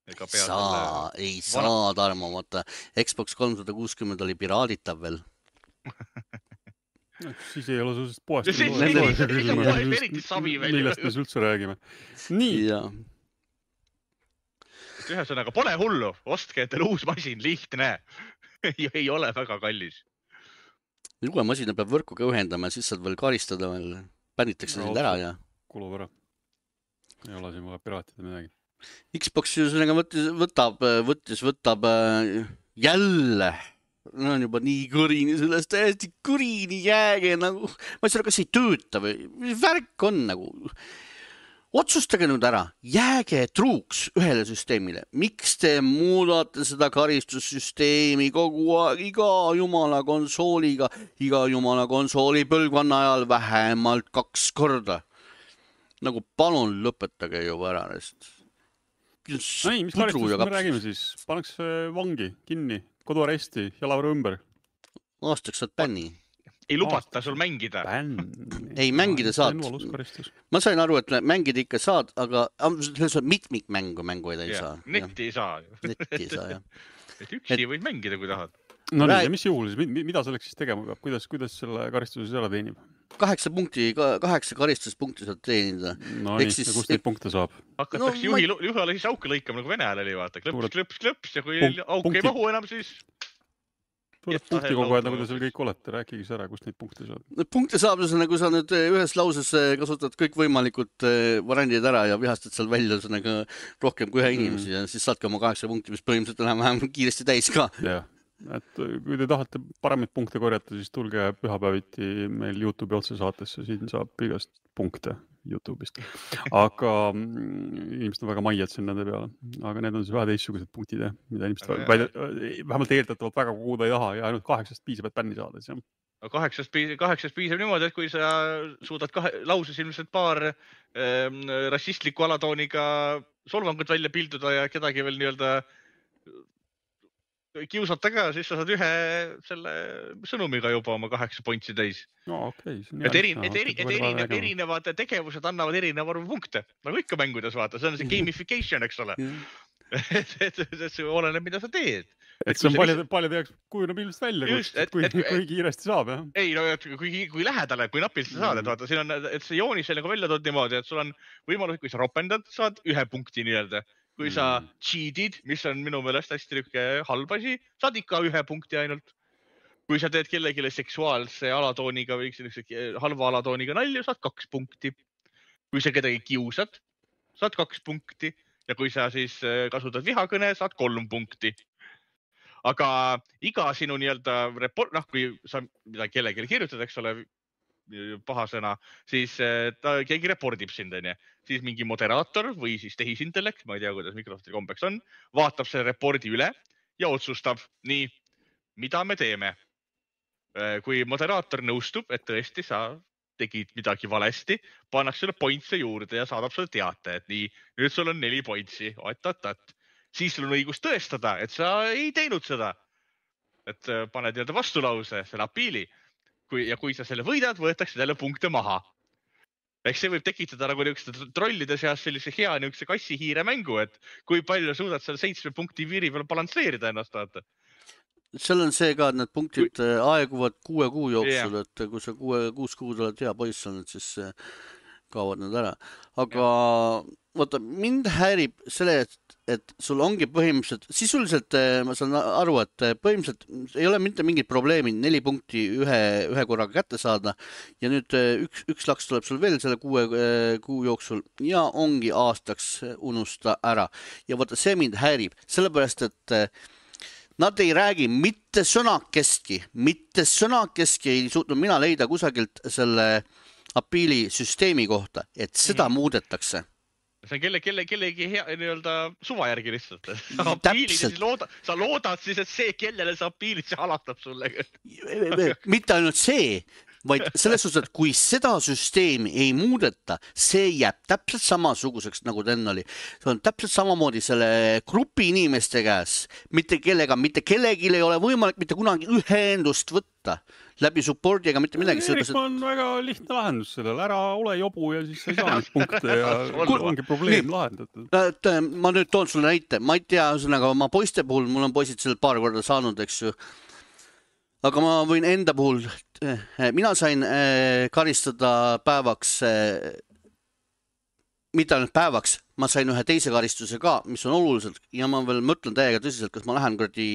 Saa, ei saa, Tarmo, vaata. Xbox kolmsada kuuskümmend oli piraaditav veel. No, siis ei ole sellest poest. Millest me üldse räägime. Nii. Ja. Ühesõnaga, pole hullu. Ostke endale uus masin, lihtne. Ei ole väga kallis. Uue masina peab võrkuga ühendama, siis saad veel karistada veel. Pänitakse no, sind ära ja... Kulub ära. Ei ole siin vaja piraatida midagi. Xbox võttis, võtab, võttis, võtab jälle, no on juba nii kõrini sellest, täiesti kõrini jääge, nagu, ma ei saa, kas ei tööta või, mis värk on nagu, otsustage nüüd ära, jääge truuks ühele süsteemile, miks te muudate seda karistussüsteemi kogu aeg, iga jumala konsooliga, iga jumala konsooli põlvkonna ajal vähemalt kaks korda, nagu palun lõpetage juba ära neist. No ei, mis karistust me räägime siis? Paneks vangi, kinni, koduaresti, jalavõru ümber. Aastaks saad bänni. Ei lubata sul mängida. Bänn. Ei, mängida saad. Ma sain aru, et mängida ikka saad, aga selles on mitmik mängu, mängu ei ja, saa. Netti ei saa. Netti ei saa, jah. Et üksi et... võid mängida, kui tahad. No nii, ja mis juhul siis? Mida selleks siis tegema peab? Kuidas, kuidas selle karistuse ära teenib? Kaheksa punkti, kaheksa karistuspunkti saad teenida. No nii, siis... ja kust neid punkte saab? Hakatakse no, juhi, ma... juhale siis auke lõikama, nagu Vene ajal oli, vaata. Klõps, klõps, klõps ja kui Punk, auk punkti... ei mahu enam, siis... Suured punkti kogu aeg, nagu te seal kõik olete. Rääkige siis ära, kust neid punkte saab. Punkte saab, nagu sa nüüd ühes lauses kasutad kõik võimalikud variandid ära ja vihastad seal välja rohkem kui ühe inimesi mm. ja siis saadki oma kaheksa punkti, mis põhimõtteliselt on vähem kiiresti täis ka. Jah. Et kui te tahate paremaid punkte korjata, siis tulge pühapäeviti meil YouTube'i otsesaatesse, siin saab igast punkte YouTube'ist. Aga inimesed on väga maiad siin nende peale. Aga need on siis vähe teistsugused punktid, mida inimesed väide, vähemalt eeldatavalt väga koguda ei taha ja ainult kaheksast piisab, et bänni saada. Kaheksast, kaheksast piisab niimoodi, et kui sa suudad kahe, lauses ilmselt paar ähm, rassistliku alatooniga solvangut välja pilduda ja kedagi veel nii-öelda kiusata ka, siis sa saad ühe selle sõnumiga juba oma kaheksa pointsi täis. No okei. Okay, et eri, et, eri, et erinev, erinevad tegevused annavad erineva arvu punkte. Nagu ikka mängudes vaata, see on see gamification, eks ole. et, et, et see oleneb, mida sa teed. Et, et see on paljade, paljade jaoks kujuneb ilmselt välja, just, et, kui, et, kui kiiresti saab. Jah? Ei, no kui, kui lähedale, kui napilt sa saad, et vaata, siin on, et see joonis nagu välja tood niimoodi, et sul on võimalus, kui sa ropendad, saad ühe punkti nii-öelda. Kui sa cheatid, mis on minu meelest hästi lükke halb asi, saad ikka ühe punkti ainult. Kui sa teed kellegile seksuaalse alatooniga või halva alatooniga nalju, saad kaks punkti. Kui sa kedagi kiusad, saad kaks punkti. Ja kui sa siis kasutad vihakõne, saad kolm punkti. Aga iga sinu nii-öelda report, noh, kui sa mida kellegile kirjutad, eks ole, paha sõna, siis ta keegi repordib sind, on ja. Siis mingi moderaator või siis tehisintellekt, ma ei tea, kuidas Microsofti kombeks on, vaatab selle repordi üle ja otsustab, nii, mida me teeme. Kui moderaator nõustub, et tõesti sa tegid midagi valesti, pannakse sulle pointse juurde ja saadab sulle teate, et nii, nüüd sul on neli pointsi, oot-oot-oot. Siis sul on õigus tõestada, et sa ei teinud seda. Et paned nii-öelda vastulause, selle apiili. Kui, ja kui sa selle võidad, võetakse jälle punkte maha. Eks see võib tekitada nagu niisugused trollide seas sellise hea niisuguse kassi-hiire mängu, et kui palju suudad selle seitsme punkti viiri peal balansseerida ennast, vaata. Seal on see ka, et need punktid kui... aeguvad kuue kuu jooksul, yeah. Et kui sa kuue, kuus kuud oled hea poiss olnud, siis kaovad need ära. Aga yeah. Vaata, mind häirib selle, et, et sul ongi põhimõtteliselt, sisuliselt ma saan aru, et põhimõtteliselt ei ole mitte mingit probleemi neli punkti ühe, ühe korraga kätte saada ja nüüd üks, üks laks tuleb sul veel selle kuue kuu jooksul ja ongi aastaks unusta ära. Ja vaata, see mind häirib, sellepärast, et nad ei räägi mitte sõnakestki, mitte sõnakestki ei suutnud mina leida kusagilt selle apiili süsteemi kohta, et seda mm. muudetakse. See on kelle, kelle, kellegi hea nii-öelda suva järgi lihtsalt. Sa, looda, sa loodad siis, et see, kellele sa apiilid, see halatab sulle. Mitte ainult see, vaid selles suhtes, et kui seda süsteemi ei muudeta, see jääb täpselt samasuguseks, nagu ta enne oli. See on täpselt samamoodi selle grupi inimeste käes, mitte kellega, mitte kellegi ei ole võimalik mitte kunagi ühendust võtta läbi supporti ega mitte midagi. Erik on väga lihtne lahendus sellele. Ära ole jobu ja siis sa ei saa neid punkte ja ongi probleem lahendatud. Et, ma nüüd toon sulle näite. Ma ei tea, ühesõnaga oma poiste puhul, mul on poisid seal paar korda saanud, eks ju. Aga ma võin enda puhul, mina sain karistada päevaks, mitte ainult päevaks, ma sain ühe teise karistuse ka, mis on oluliselt ja ma veel mõtlen täiega tõsiselt, kas ma lähen, kuradi,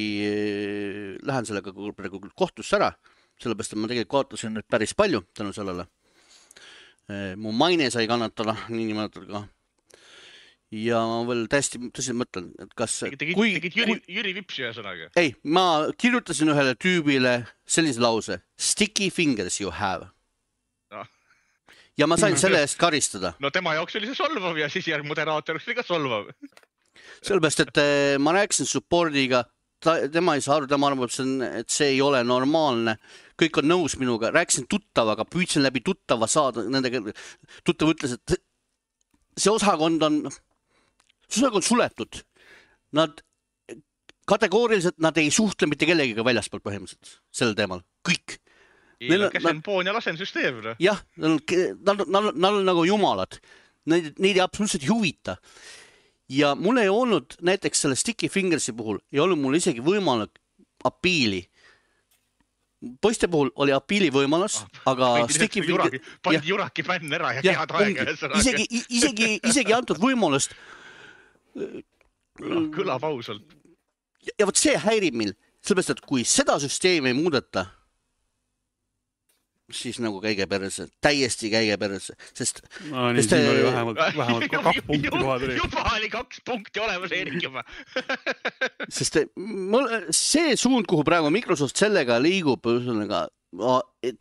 lähen sellega kohtusse ära. Sellepärast, et ma tegelikult kaotasin nüüd päris palju tänu sellele. Mu maine sai kannatada, nii nimetada ka. Ja ma veel täiesti tõsiselt mõtlen, et kas... Tegid, kui, tegid Jüri, kui... Jüri Vipsi ühe sõnaga? Ei, ma kirjutasin ühele tüübile sellise lause. Sticky fingers you have. No. Ja ma sain selle eest karistada. No tema jaoks oli see solvav ja siis järg moderaator oli ka solvav. Sellepärast, et ma rääkisin supportiga, ta, tema ei saa aru, tema arvab, et see ei ole normaalne. Kõik on nõus minuga. Rääkisin tuttavaga, püüdsin läbi tuttava saada. Nendega, tuttav ütles, et see osakond on, see osakond suletud. Nad kategooriliselt, nad ei suhtle mitte kellegiga väljaspoolt põhimõtteliselt sel teemal. Kõik. Neil on käsenpoon ja lasensüsteem. Jah, nad on nagu jumalad. Neid, neid ei absoluutselt huvita. Ja mul ei olnud näiteks selle Sticky Fingersi puhul, ei olnud mul isegi võimalik apiili. Poiste puhul oli apiili võimalus, ah, aga Sticky Finger... Panid Juraki fänn ära ja head aega. Isegi, isegi, isegi antud võimalust. Kõlab ausalt. Ja, ja võt see häirib meil, sellepärast, et kui seda süsteemi ei muudeta, siis nagu käige perse, täiesti käige perse, sest... No nii, siin oli vähemalt, vähemalt kaks punkti kohad. Juba oli kaks punkti olemas, Erik juba. Sest see suund, kuhu praegu Microsoft sellega liigub,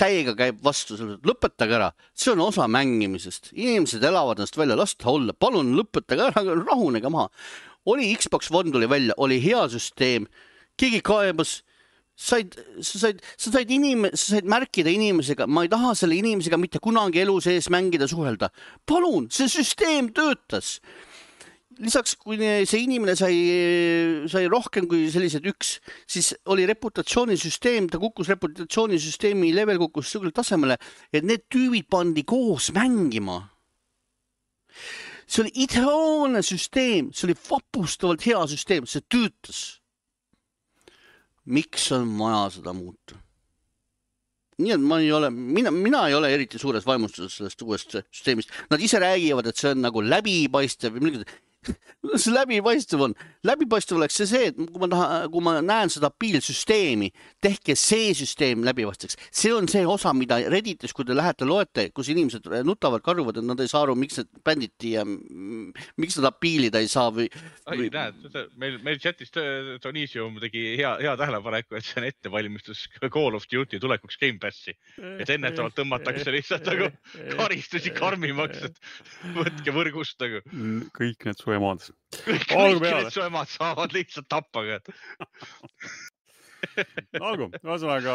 täiega käib vastu, lõpetage ära. See on osa mängimisest. Inimesed elavad ennast välja, lasta olla. Palun lõpetage ära, rahunega maha. Oli Xbox One tuli välja, oli hea süsteem, keegi kaebas, Said, sa, said, sa, said inime, sa said märkida inimesega, ma ei taha selle inimesega mitte kunagi elu sees mängida suhelda. Palun, see süsteem töötas. lisaks, kui see inimene sai, sai rohkem kui sellised üks, siis oli reputatsioonisüsteem, ta kukkus reputatsioonisüsteemi level kukkus sellele tasemele, et need tüübid pandi koos mängima. See oli ideaalne süsteem, see oli vapustavalt hea süsteem, see töötas. Miks on vaja seda muuta? Nii et ma ei ole, mina, mina ei ole eriti suures vaimustuses sellest uuest süsteemist. Nad ise räägivad, et see on nagu läbipaistev. See läbipaistev on. Läbipaistev oleks see see, et kui ma, taha, kui ma näen seda piilsüsteemi, tehke see süsteem läbipaisteks. See on see osa, mida Redditis, kui te lähete loete, kus inimesed nutavad, karjuvad, et nad ei saa aru, miks need bänditi ja miks nad piilida ei saa. Või, või... Ai, näed, meil, meil chatis Tonisium tegi hea, hea tähelepaneku, et see on ettevalmistus Call of Duty tulekuks Game Passi. Et ennetavalt tõmmatakse lihtsalt nagu karistusi karmimaks, et võtke võrgust nagu. Kõik need su emad. Kõik, kõik need su emad saavad lihtsalt tappa. Algu, ühesõnaga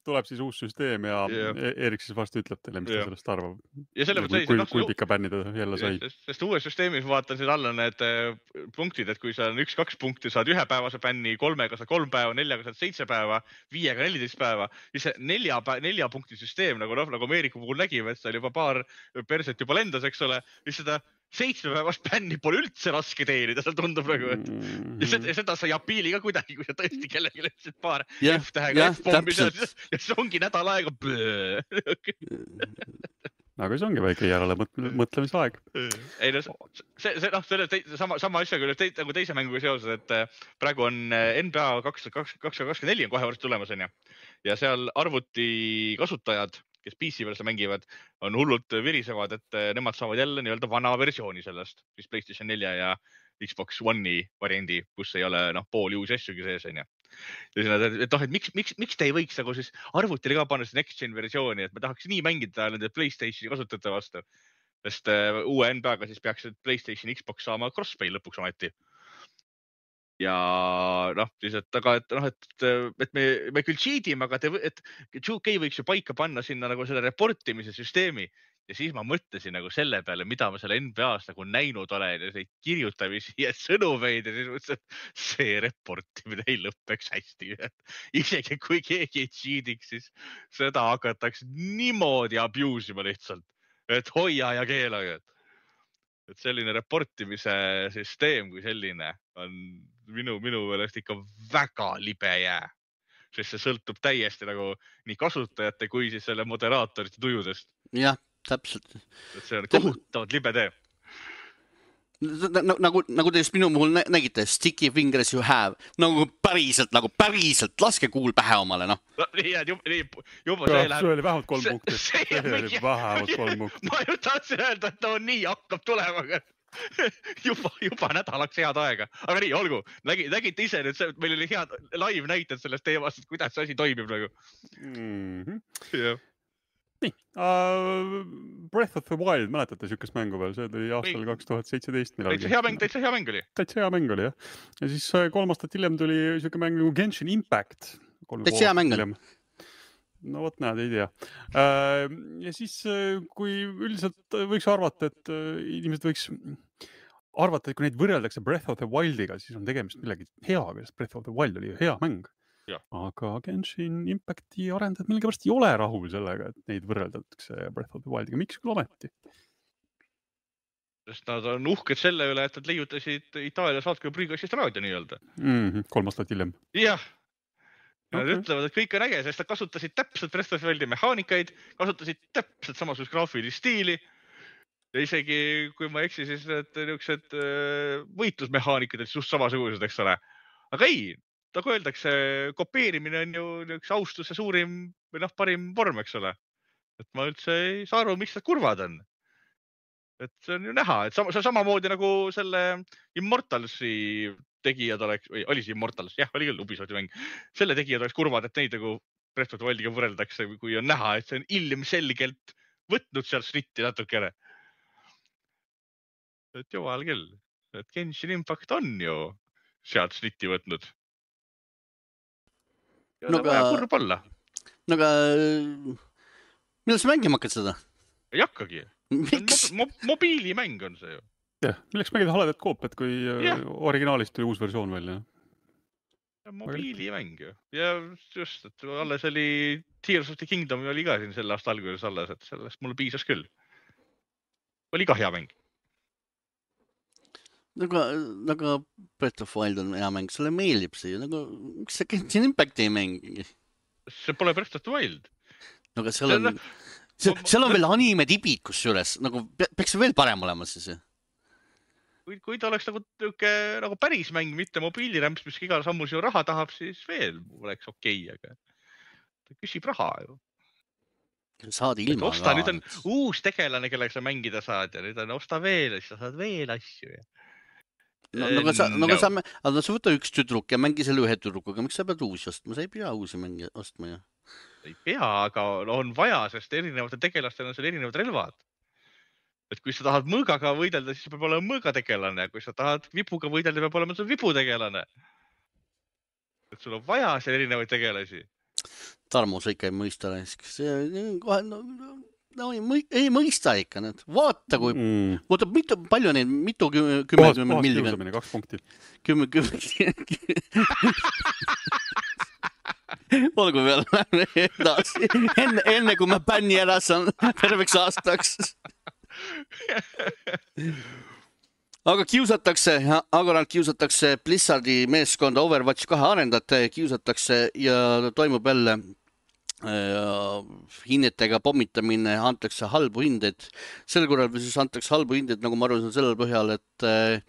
tuleb siis uus süsteem ja yeah. Erik siis vast ütleb teile, mis yeah. ta sellest arvab. Ja selle kui, kui, kui pika bänni ta jälle sai. Sest, sest uues süsteemis vaatan siin alla need punktid, et kui sa on üks-kaks punkti, saad ühe päevase bänni, kolmega saad kolm päeva, neljaga saad seitse päeva, viiega neliteist päeva. Siis see nelja, nelja punkti süsteem, nagu, nagu Ameeriku puhul nägime, et seal juba paar perset juba lendas, eks ole, siis seda seitsmepäevast bänni pole üldse raske teenida, seal tundub nagu, et ja seda, seda sa ei apiili ka kuidagi, kui sa tõesti kellegi lihtsalt paar yeah, F-tähega yeah, F-pommi seal, ja see ongi nädal aega. Aga see ongi väike järele mõtlemisaeg. Ei, no, see, see, no, selle te, sama, sama asja küll te, nagu teise mänguga seoses, et praegu on N B A kaks tuhat kakskümmend neli on kohe varsti tulemas, on ja. Ja seal arvuti kasutajad, kes P C peal seda mängivad, on hullult virisevad, et nemad saavad jälle nii-öelda vana versiooni sellest, siis PlayStation nelja ja Xbox One'i variandi, kus ei ole noh, pooli uusi asjugi sees, on ja. Ja siis nad, et noh, et miks, miks, miks te ei võiks nagu siis arvutile ka panna see Next Gen versiooni, et me tahaks nii mängida nende PlayStationi kasutajate vastu. Sest uh, uue N B A-ga siis peaks PlayStation Xbox saama crossplay lõpuks ometi. Ja noh, siis, et, aga, et, noh, et, et me, me küll cheatime, aga te, et two K võiks ju paika panna sinna nagu selle reportimise süsteemi. Ja siis ma mõtlesin nagu selle peale, mida ma selle N B A-s nagu näinud olen ja neid kirjutamisi ja sõnumeid ja siis mõtlesin, et see reportimine ei lõppeks hästi. Isegi kui keegi ei cheatiks, siis seda hakatakse niimoodi abusima lihtsalt, et hoia ja keelaga. Et selline reportimise süsteem kui selline on minu, minu meelest ikka väga libe jää, sest see sõltub täiesti nagu nii kasutajate kui siis selle moderaatorite tujudest. Jah, täpselt. Et see on kohutavalt libe tee. Nagu, nagu te just minu puhul nägite, sticky fingers you have, nagu päriselt, nagu päriselt, laske kuul pähe omale, noh. Nii, nii, juba see läheb. See oli vähemalt kolm punkti. See oli vähemalt kolm punkti. Ma ju tahtsin öelda, et ta on nii hakkab tulema, aga juba, juba nädalaks head aega. Aga nii, olgu, nägite ise nüüd, meil oli head live näited sellest teemast, et kuidas see asi toimib nagu. Mm-hmm. Yeah. Nii, uh, Breath of the Wild, mäletate sükest mängu veel, see oli aastal kaks tuhat seitseteist millalgi. Täitsa hea mäng, täitsa hea mäng oli. Täitsa hea mäng oli, jah. Ja siis kolm aastat hiljem tuli süke mäng nagu Genshin Impact. Täitsa hea mäng oli. No vot näed, ei tea. Uh, ja siis, kui üldiselt võiks arvata, et inimesed võiks arvata, et kui neid võrreldakse Breath of the Wildiga, siis on tegemist millegi heaga, sest Breath of the Wild oli hea mäng. Ja. Aga Genshin Impacti arendajad millegipärast ei ole rahul sellega, et neid võrreldatakse Breath of the Wildiga. Miks küll ometi? Sest nad on uhked selle üle, et nad leiutasid Itaalia saatke prügastist raadio nii-öelda. Mm-hmm, kolm aastat hiljem. Jah. Nad okay. Ütlevad, et kõik on äge, sest nad kasutasid täpselt Breath of the Wildi mehaanikaid, kasutasid täpselt samasugust graafilist stiili. Ja isegi, kui ma eksi, siis need niisugused võitlusmehaanikad olid just samasugused, eks ole. Aga ei, nagu öeldakse, kopeerimine on ju üks austuse suurim või noh, parim vorm, eks ole. Et ma üldse ei saa aru, miks nad kurvad on. Et see on ju näha, et sama, see on samamoodi nagu selle Immortalsi tegijad oleks, või oli see Immortals? Jah, oli küll Ubisofti mäng. Selle tegijad oleks kurvad, et neid nagu Breath of the Wildiga võrreldakse, kui on näha, et see on ilmselgelt võtnud seal snitti natukene. Et jumal küll, et Genshin Impact on ju sealt snitti võtnud. Ja no vaja kurb olla. No aga millal sa mängima hakkad seda? Ei hakkagi. Mo mo mobiilimäng on see ju. jah, milleks mängida haledat koopiat, kui Jah. originaalist tuli uus versioon välja? Mobiilimäng ju. Ja just, et alles oli Tears of the Kingdom oli ka siin selle aasta alguses alles, et sellest mulle piisas küll. Oli ka hea mäng. Nagu, nagu Breath of Wild on hea mäng, sulle meeldib see ju, nagu, miks sa Genshin Impacti ei mängi? See pole Breath of the Wild. Nagu seal on, seal, seal on veel anime tibid kusjuures, nagu peaks veel parem olema siis. Kui, kui ta oleks nagu, tüke, nagu päris mäng, mitte mobiilirämps, mis igal sammul sinu raha tahab, siis veel oleks okei, aga ta küsib raha ju. Saad ilma osta, ka. Nüüd on uus tegelane, kellega sa mängida saad ja nüüd on osta veel, siis sa saad veel asju. Ja. No, nagu sa, nagu sa, aga sa võta üks tüdruk ja mängi selle ühe tüdrukuga, miks sa pead uusi ostma? Sa ei pea uusi mängi ostma ju. Ei pea, aga on vaja, sest erinevate tegelastel on seal erinevad relvad. Et kui sa tahad mõõgaga võidelda, siis peab olema mõõgategelane. Kui sa tahad vipuga võidelda, peab olema sul viputegelane. Et sul on vaja seal erinevaid tegelasi. Tarmo, sa ikka ei mõista. Kohe, no, no, ei, ei mõista ikka. Need. Vaata, kui mm. vaata, mitu, palju neid, mitu kümme, kümme, kümme millikond. Kaks punkti. Kümme, kümme. Olgu veel edasi. Enne, enne kui ma bänni ära saan terveks aastaks. Aga kiusatakse, Agoralt kiusatakse Blizzardi meeskonda Overwatch kahe arendajate, kiusatakse ja toimub jälle äh, hinnetega pommitamine, antakse halbu hindeid. Sel korral siis antakse halbu hindeid, nagu ma arvan, sellel põhjal, et äh,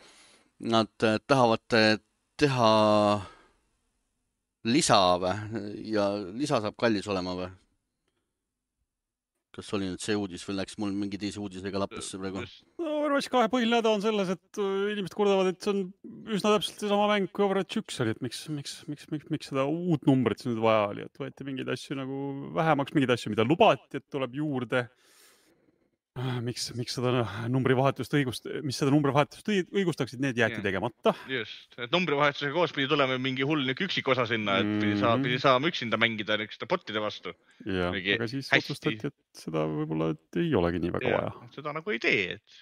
nad tahavad teha lisa või? Ja lisa saab kallis olema või? Kas oli nüüd see uudis või läks mul mingi teise uudisega lappasse praegu? No, Overwatch kahe põhileda on selles, et inimesed kurdavad, et see on üsna täpselt sama mäng kui Overwatch üks oli, et miks, miks, miks, miks, miks seda uut numbrit nüüd vaja oli, et võeti mingeid asju nagu vähemaks, mingeid asju, mida lubati, et tuleb juurde. Miks, miks seda numbrivahetust õigust, mis seda numbrivahetust õigustaksid, need jäeti yeah. tegemata. Just, et numbrivahetusega koos pidi tulema mingi hull üksik osa sinna, et pidi, saa, pidi saama üksinda mängida nükeste botide vastu. Ja, aga siis hästi. Otsustati, et seda võib-olla et ei olegi nii väga ja, vaja. Seda nagu ei tee, et...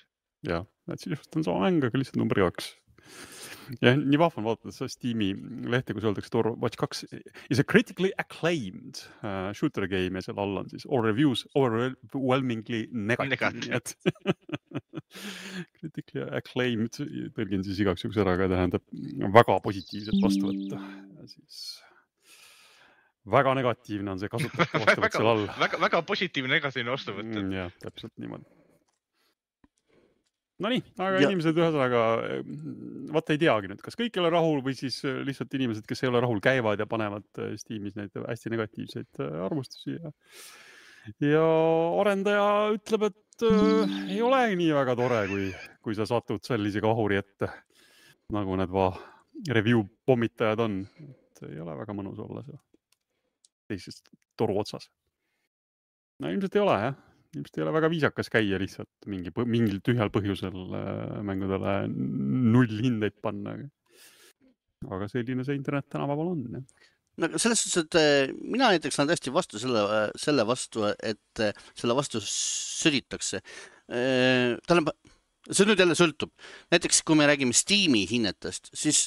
Ja, et siis just on sama mäng, aga lihtsalt number kaks. Ja nii vahvan vaatades Steam'i lehte, kus öeldakse, et Overwatch kaks is a critically acclaimed uh, shooter game ja seal all on siis all reviews overwhelmingly negative. Et critically acclaimed, tõlgin siis igaks juks ära, aga tähendab väga positiivset vastu võtta. Ja siis väga negatiivne on see kasutajate vastu võtta seal all. Väga, väga positiivne negatiivne vastu võtta. Mm, jah, täpselt niimoodi. No nii, aga ja. Inimesed ühesõnaga, vaata ei teagi nüüd, kas kõik ei ole rahul või siis lihtsalt inimesed, kes ei ole rahul, käivad ja panevad Steamis neid hästi negatiivseid arvustusi. Ja, ja arendaja ütleb, et äh, ei ole nii väga tore, kui, kui sa satud sellise kahuri ette, nagu need va review pommitajad on. Et ei ole väga mõnus olla seal teisest toru otsas. No ilmselt ei ole, jah. Ilmselt ei ole väga viisakas käia lihtsalt mingi, mingil tühjal põhjusel mängudele null hindeid panna. Aga selline see internet tänapäeval on. Ja. No, selles suhtes, et mina näiteks olen täiesti vastu selle, selle vastu, et selle vastu sõditakse. Tähendab, see nüüd jälle sõltub. Näiteks, kui me räägime Steam'i hinnetest, siis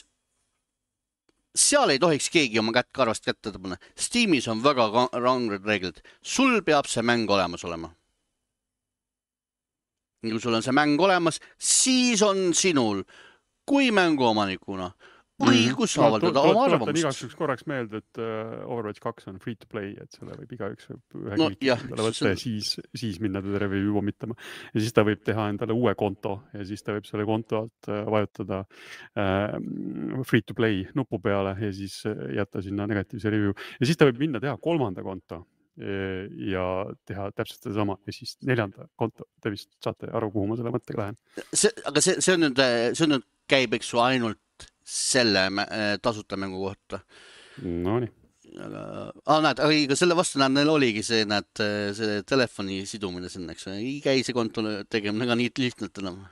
seal ei tohiks keegi oma kätt karvast kätte tõbana. Steamis on väga ranged reeglid. Sul peab see mäng olemas olema. Kui sul on see mäng olemas, siis on sinul kui mänguomanikuna õigus mm. avaldada oma arvamust. Tuletan igaks üks korraks meelde, et Overwatch kaks on free to play, et selle võib igaüks ühe no, kliki endale võtta ja siis, siis minna teda review omitama. Ja siis ta võib teha endale uue konto ja siis ta võib selle konto alt vajutada äh, free to play nupu peale ja siis jätta sinna negatiivse review. Ja siis ta võib minna teha kolmanda konto ja teha täpselt seda sama ja siis neljanda konto. Te vist saate aru, kuhu ma selle mõttega lähen. See, aga see, see, on nüüd, see on nüüd käib, eks ju, ainult selle tasuta mängu kohta. No nii. Aga, ah, näed, aga selle vastu näed, neil oligi see, näed, see telefoni sidumine sinna, eks. Ei käi see konto tegemine ka nii lihtnalt enam.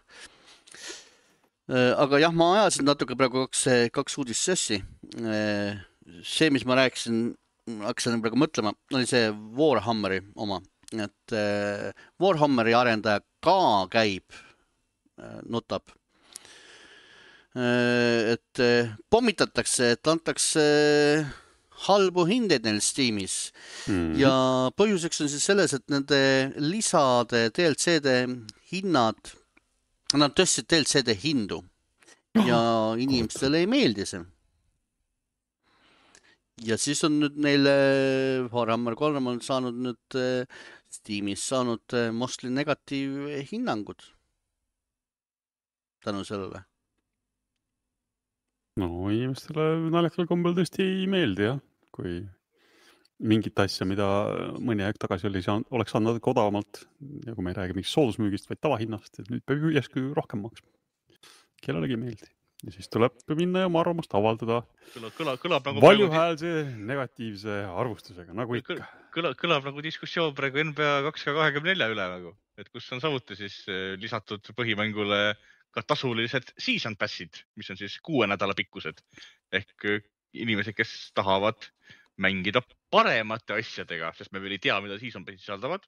Aga jah, ma ajasin natuke praegu kaks, kaks uudist sessi. See, mis ma rääkisin, hakkasin praegu mõtlema, oli see Warhammeri oma. Et Warhammeri arendaja ka käib, notab et pommitatakse, et antakse halbu hindeid neil Steamis mm-hmm. ja põhjuseks on siis selles, et nende lisade D L C-de hinnad, nad tõstsid D L C-de hindu ja inimestele ei meeldi see. Ja siis on nüüd neile Warhammer kolm on saanud nüüd Steamis saanud mostly negatiivhinnangud tänu sellele. No inimestele naljakal kombel tõesti ei meeldi, jah, kui mingit asja, mida mõni aeg tagasi oli, oleks andnud odavamalt, ja kui me ei räägi mingist soodusmüügist, vaid tavahinnast, et nüüd peab järsku rohkem maksma. Kellelegi ei meeldi. Ja siis tuleb minna ja oma arvamust avaldada kõlab, kõlab, kõlab nagu valjuhäälse negatiivse arvustusega, nagu ikka. Kõlab, kõlab nagu diskussioon praegu N B A kaks K kakskümmend neli üle, nagu, et kus on samuti siis lisatud põhimängule ka tasulised season passid, mis on siis kuue nädala pikkused. Ehk inimesed, kes tahavad mängida paremate asjadega, sest me veel ei tea, mida season passid sisaldavad.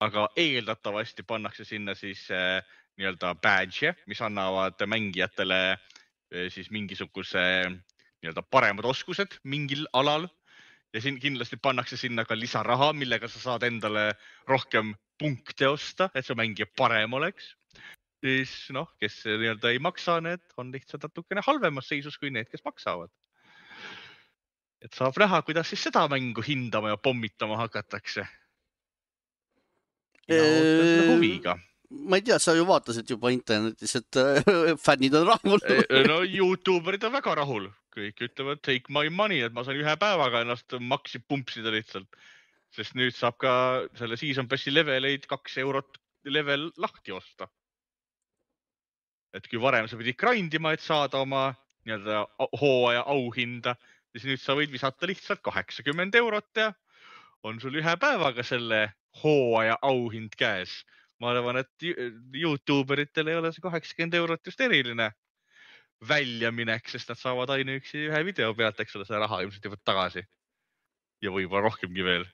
Aga eeldatavasti pannakse sinna siis äh, nii-öelda badge, mis annavad mängijatele äh, siis mingisuguse nii-öelda paremad oskused mingil alal. Ja siin kindlasti pannakse sinna ka lisaraha, millega sa saad endale rohkem punkte osta, et see mängija parem oleks. Siis noh, kes nii-öelda ei maksa, need on lihtsalt natukene halvemas seisus kui need, kes maksavad. Et saab näha, kuidas siis seda mängu hindama ja pommitama hakatakse. Ja ootan huviga. Ma ei tea, sa ju vaatasid juba internetis, et fännid on rahul. No YouTuberid on väga rahul. Kõik ütlevad take my money, et ma saan ühe päevaga ennast maksi pumpsida lihtsalt. Sest nüüd saab ka selle season passi leveleid kaks eurot level lahti osta. Et kui varem sa pidid grindima, et saada oma nii-öelda hooaja auhinda, siis nüüd sa võid visata lihtsalt kaheksakümmend eurot ja on sul ühe päevaga selle hooaja auhind käes. Ma arvan, et YouTuberitel ei ole see kaheksakümmend eurot just eriline väljaminek, sest nad saavad ainuüksi ühe video pealt, eks ole, see raha ilmselt jõuab tagasi. Ja võib-olla rohkemgi veel.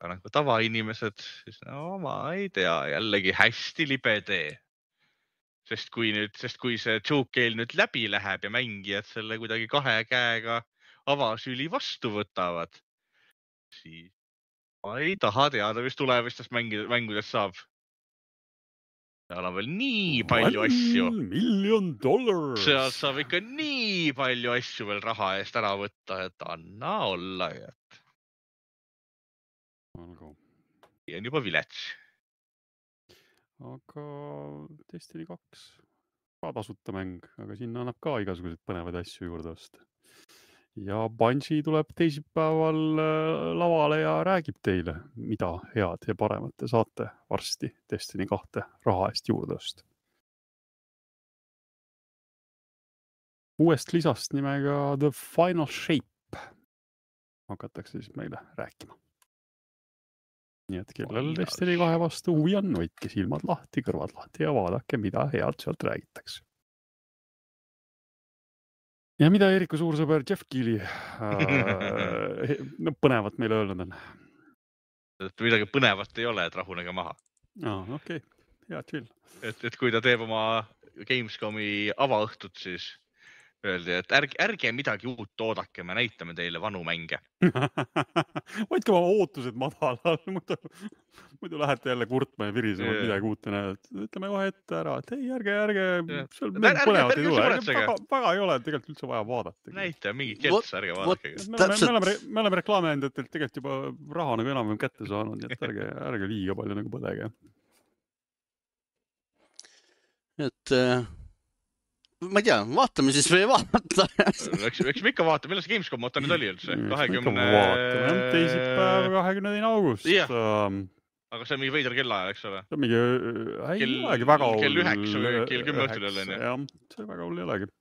Aga nagu tavainimesed, siis no ma ei tea, jällegi hästi libe tee. Sest kui, nüüd, sest kui see joke-keel nüüd läbi läheb ja mängijad selle kuidagi kahe käega avasüli vastu võtavad, siis ma ei taha teada, mis tulevastest mängudest saab. Seal on veel nii palju One asju. Million dollars. Seal saab ikka nii palju asju veel raha eest ära võtta, et anna olla. Et... ja on juba vilets. Aga Destiny kaks ka tasuta mäng, aga sinna annab ka igasuguseid põnevaid asju juurde osta. Ja Bungie tuleb teisipäeval lavale ja räägib teile, mida head ja paremat te saate varsti Destiny kahte raha eest juurde osta. Uuest lisast nimega The Final Shape hakatakse siis meile rääkima. Nii et kellel Destiny kahe vastu huvi on, hoidke silmad lahti, kõrvad lahti ja vaadake, mida head sealt räägitakse. Ja mida Eeriku suursõber Jeff Keighley äh, no, põnevat meile öelnud on? Midagi põnevat ei ole, et rahunege maha. Ah, okei, okay. Hea chill. Et, et kui ta teeb oma Gamescomi avaõhtut, siis öeldi, et ärge, ärge midagi uut oodake, me näitame teile vanu mänge. Hoidke oma ootused madalal, muidu, muidu lähete jälle kurtma ja virisema yeah. midagi uut ja näed. Ütleme kohe ette ära, et ei, ärge, ärge, yeah. seal meil põnevat ei tule. Väga, väga ei ole tegelikult üldse vaja vaadata. Näita mingit kelts, ärge vaadake. Me, me, me, oleme, me oleme reklaamiandjatelt tegelikult juba raha nagu enam kätte saanud, nii et ärge, ärge liiga palju nagu põdege. Et... ma ei tea, vaatame siis või vaata. Eks, eks me ikka vaatame, millal see Gamescom oota nüüd oli üldse? kahekümne teisipäev, kahekümne teine august. Yeah. Aga see on mingi veider kellaaja, eks ole? See on mingi, ei kell, olegi väga hull. Kell üheksa või kell kümme õhtul jälle. Jah, see väga hull ei olegi.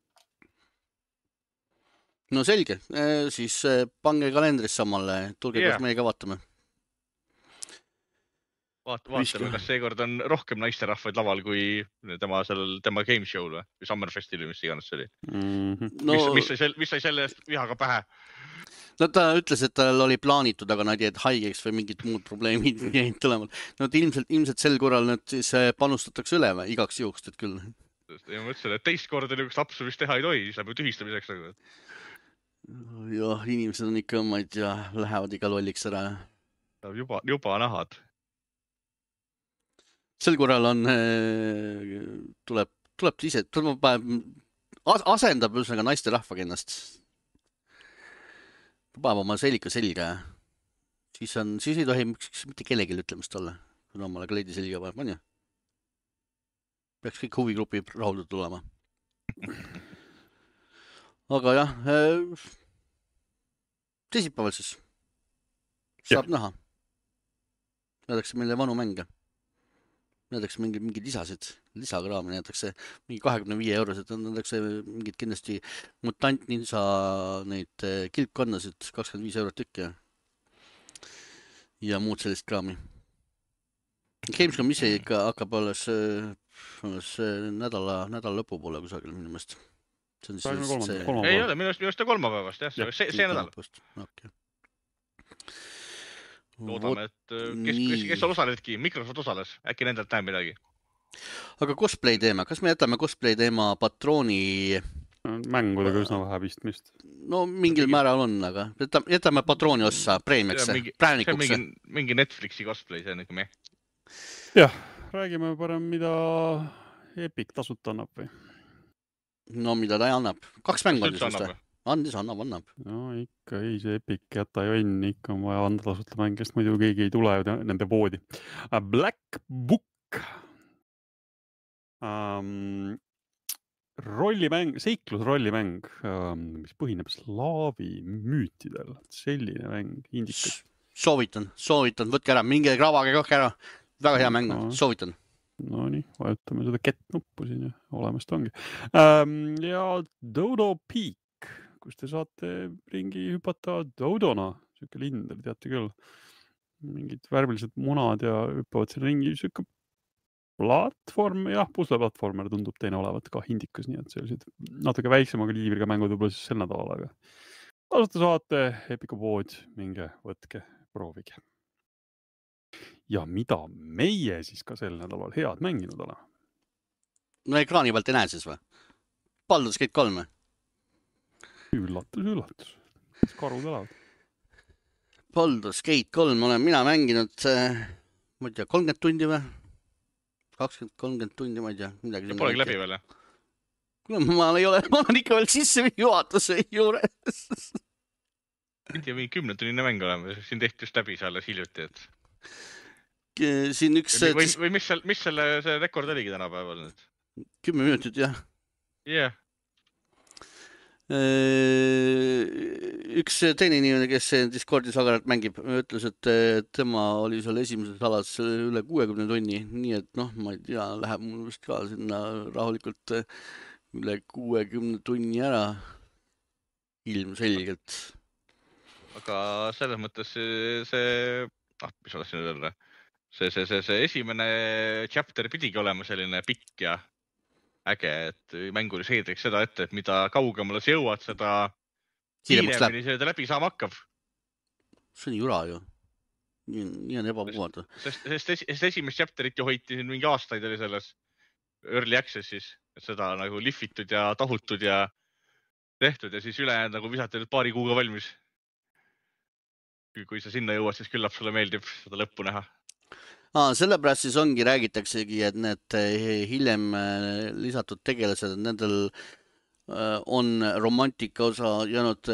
No selge, siis pange kalendris samale, tulge yeah. koos meiega vaatame. Vaat, vaatame, kas seekord on rohkem naisterahvaid laval kui tema, sellel, tema game show'l või Summerfestil või mis iganes see oli. Mm-hmm. No, mis, mis, sai, mis sai selle eest vihaga pähe? No ta ütles, et tal oli plaanitud, aga nad jäid haigeks või mingid muud probleemid jäid tulemal. No ilmselt, ilmselt sel korral nad siis panustatakse üle igaks juhust, et küll. Ja ma mõtlesin, et teist korda niisugust lapsu vist teha ei tohi, siis läheb ju tühistamiseks nagu. Jah, inimesed on ikka, ma ei tea, lähevad ikka lolliks ära. Juba, juba nahad. Sel korral on, tuleb, tuleb ise, tuleb, asendab ühesõnaga naiste rahvaga ennast. Paneb oma selika selga. Siis on, siis ei tohi mitte kellelegi ütlemist olla, kui omale kleidi selga paneb, on ju? Peaks kõik huvigrupi rahuldatud olema. Aga jah, teisipäeval siis saab ja. Näha. Näedakse meile vanu mänge. Näedakse mingi, mingi lisasid, lisakraami, näedakse mingi kahekümne viie eurosed, näedakse mingid kindlasti mutant ninja neid kilpkannasid, kakskümmend viis eurot tükki ja, ja muud sellist kraami. Gamescom ise ikka hakkab alles, alles nädala, nädala lõpu poole kusagil minu meelest. See on siis see... Ei ole, minu meelest ta kolmapäevast, jah, see, see nädal. Okay. Loodame, et kes, kes, kes osaledki, Microsoft osales, äkki nendelt näeb midagi. Aga cosplay teema, kas me jätame cosplay teema patrooni... Mängudega üsna vähe pistmist. No mingil määral on, aga jätame patrooni ossa preemiaks, präänikuks. See on mingi, mingi Netflixi cosplay, see on nagu me. Jah, räägime parem, mida Epic tasuta annab või? No mida ta annab? Kaks mängu on siis või? Andis, annab, annab. No ikka ei, see Epic jäta ju enne, ikka on vaja anda tasuta mäng, sest muidu keegi ei tule nende voodi. Black Book. Um, rollimäng, seiklusrollimäng, um, mis põhineb slaavi müütidel. Selline mäng, indikas. Soovitan, soovitan, võtke ära, minge kravage kohke ära. Väga hea mäng, no. Soovitan. No nii, vajutame seda get-nuppu siin ja olemas ta ongi. Um, ja Dodo Peak. Kus te saate ringi hüpata Dodona, siuke lindel, teate küll. Mingid värvilised munad ja hüppavad selle ringi, siuke platvorm, jah, pusleplatvormer tundub teine olevat ka hindikas, nii et sellised natuke väiksema kaliibriga mängud võib-olla siis sel nädalal, aga tasuta saate, Epiku pood, minge, võtke, proovige. Ja mida meie siis ka sel nädalal head mänginud oleme? No ekraani pealt ei näe siis või? Baldur's Gate kolm? Üllatus, üllatus. Karud elavad. Baldur's Gate kolm olen mina mänginud, ma ei tea, kolmkümmend tundi või? kakskümmend kolmkümmend tundi, ma ei tea. Ja polegi läbi veel, jah? Ma ei ole, ma olen ikka veel sisse juhatuse juures. Mind ja mingi kümne tunnine mäng oleme, siin tehti just läbi seal hiljuti, et... Siin üks... Või, või mis, seal, mis selle see rekord oligi tänapäeval nüüd? Kümme minutit, jah. Jah. Yeah. Üks teine inimene, kes Discordis agaralt mängib, ütles, et tema oli seal esimeses alas üle kuuekümne tunni, nii et noh, ma ei tea, läheb mul vist ka sinna rahulikult üle kuuekümne tunni ära ilmselgelt. Aga selles mõttes see, see ah, mis oleks nüüd öelda, see, see, see, see esimene chapter pidigi olema selline pikk ja äge, et mänguris heedriks seda ette, et mida kaugemale sa jõuad, seda kiiremini seda läbi saama hakkab. See on jura ju. Nii, nii on ebapuhata. Sest, sest, sest esimest chapterit ju hoiti siin mingi aastaid oli selles early access'is, et seda nagu lihvitud ja tahutud ja tehtud ja siis ülejäänud nagu visati nüüd paari kuuga valmis. Kui sa sinna jõuad, siis küllap sulle meeldib seda lõppu näha. Aa, sellepärast siis ongi, räägitaksegi, et need hiljem lisatud tegelased, nendel on romantika osa jäänud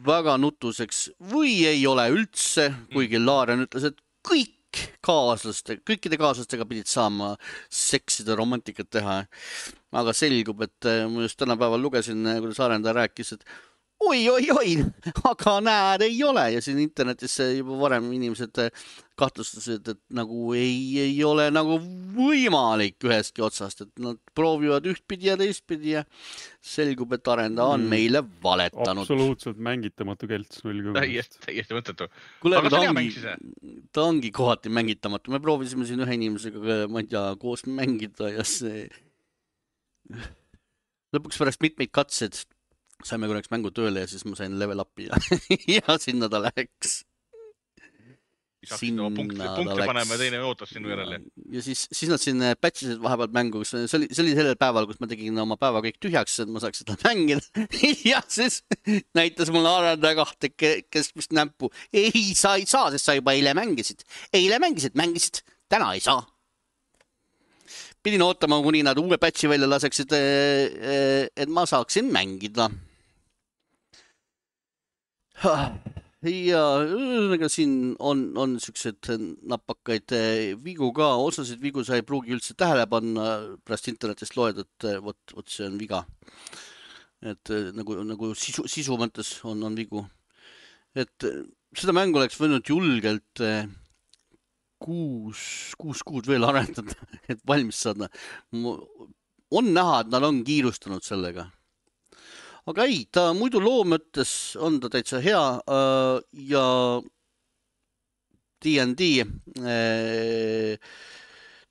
väga nutuseks või ei ole üldse, kuigi Laaren ütles, et kõik kaaslaste, kõikide kaaslastega pidid saama seksida romantikat teha. Aga selgub, et ma just tänapäeval lugesin, kuidas arendaja rääkis, et oi, oi, oi, aga näed, ei ole. Ja siin internetis juba varem inimesed kahtlustasid, et nagu ei, ei ole nagu võimalik ühestki otsast, et nad proovivad ühtpidi ja teistpidi ja selgub, et arendaja on meile valetanud. Absoluutselt mängitamatu kelts null kümne. Täiesti, täiesti mõttetu. Kule, aga ta ongi, ta ongi kohati mängitamatu. Me proovisime siin ühe inimesega, ma ei tea, koos mängida ja see lõpuks pärast mitmeid katsed saime korraks mängu tööle ja siis ma sain level upi ja, ja sinna ta läheks. saaksid oma punkte, punkte panema ja teine ootas sinu järele. Ja siis, siis nad siin patchisid vahepeal mängu, see oli, see oli sellel päeval, kus ma tegin oma päeva kõik tühjaks, et ma saaks seda mängida. Ja siis näitas mulle arendaja kahte, kes vist nämpu. Ei, sa ei saa, sest sa juba eile mängisid. Eile mängisid, mängisid, täna ei saa. Pidin ootama, kuni nad uue patchi välja laseksid, et ma saaksin mängida. Ja ühesõnaga siin on, on sellised napakaid vigu ka, osasid vigu sa ei pruugi üldse tähele panna, pärast internetist loed, et võt, võt see on viga. Et nagu, nagu sisu, sisu mõttes on, on vigu. Et seda mängu oleks võinud julgelt kuus, kuus kuud veel arendada, et valmis saada. On näha, et nad on kiirustanud sellega. Aga ei, ta muidu loo mõttes on ta täitsa hea ja D and D,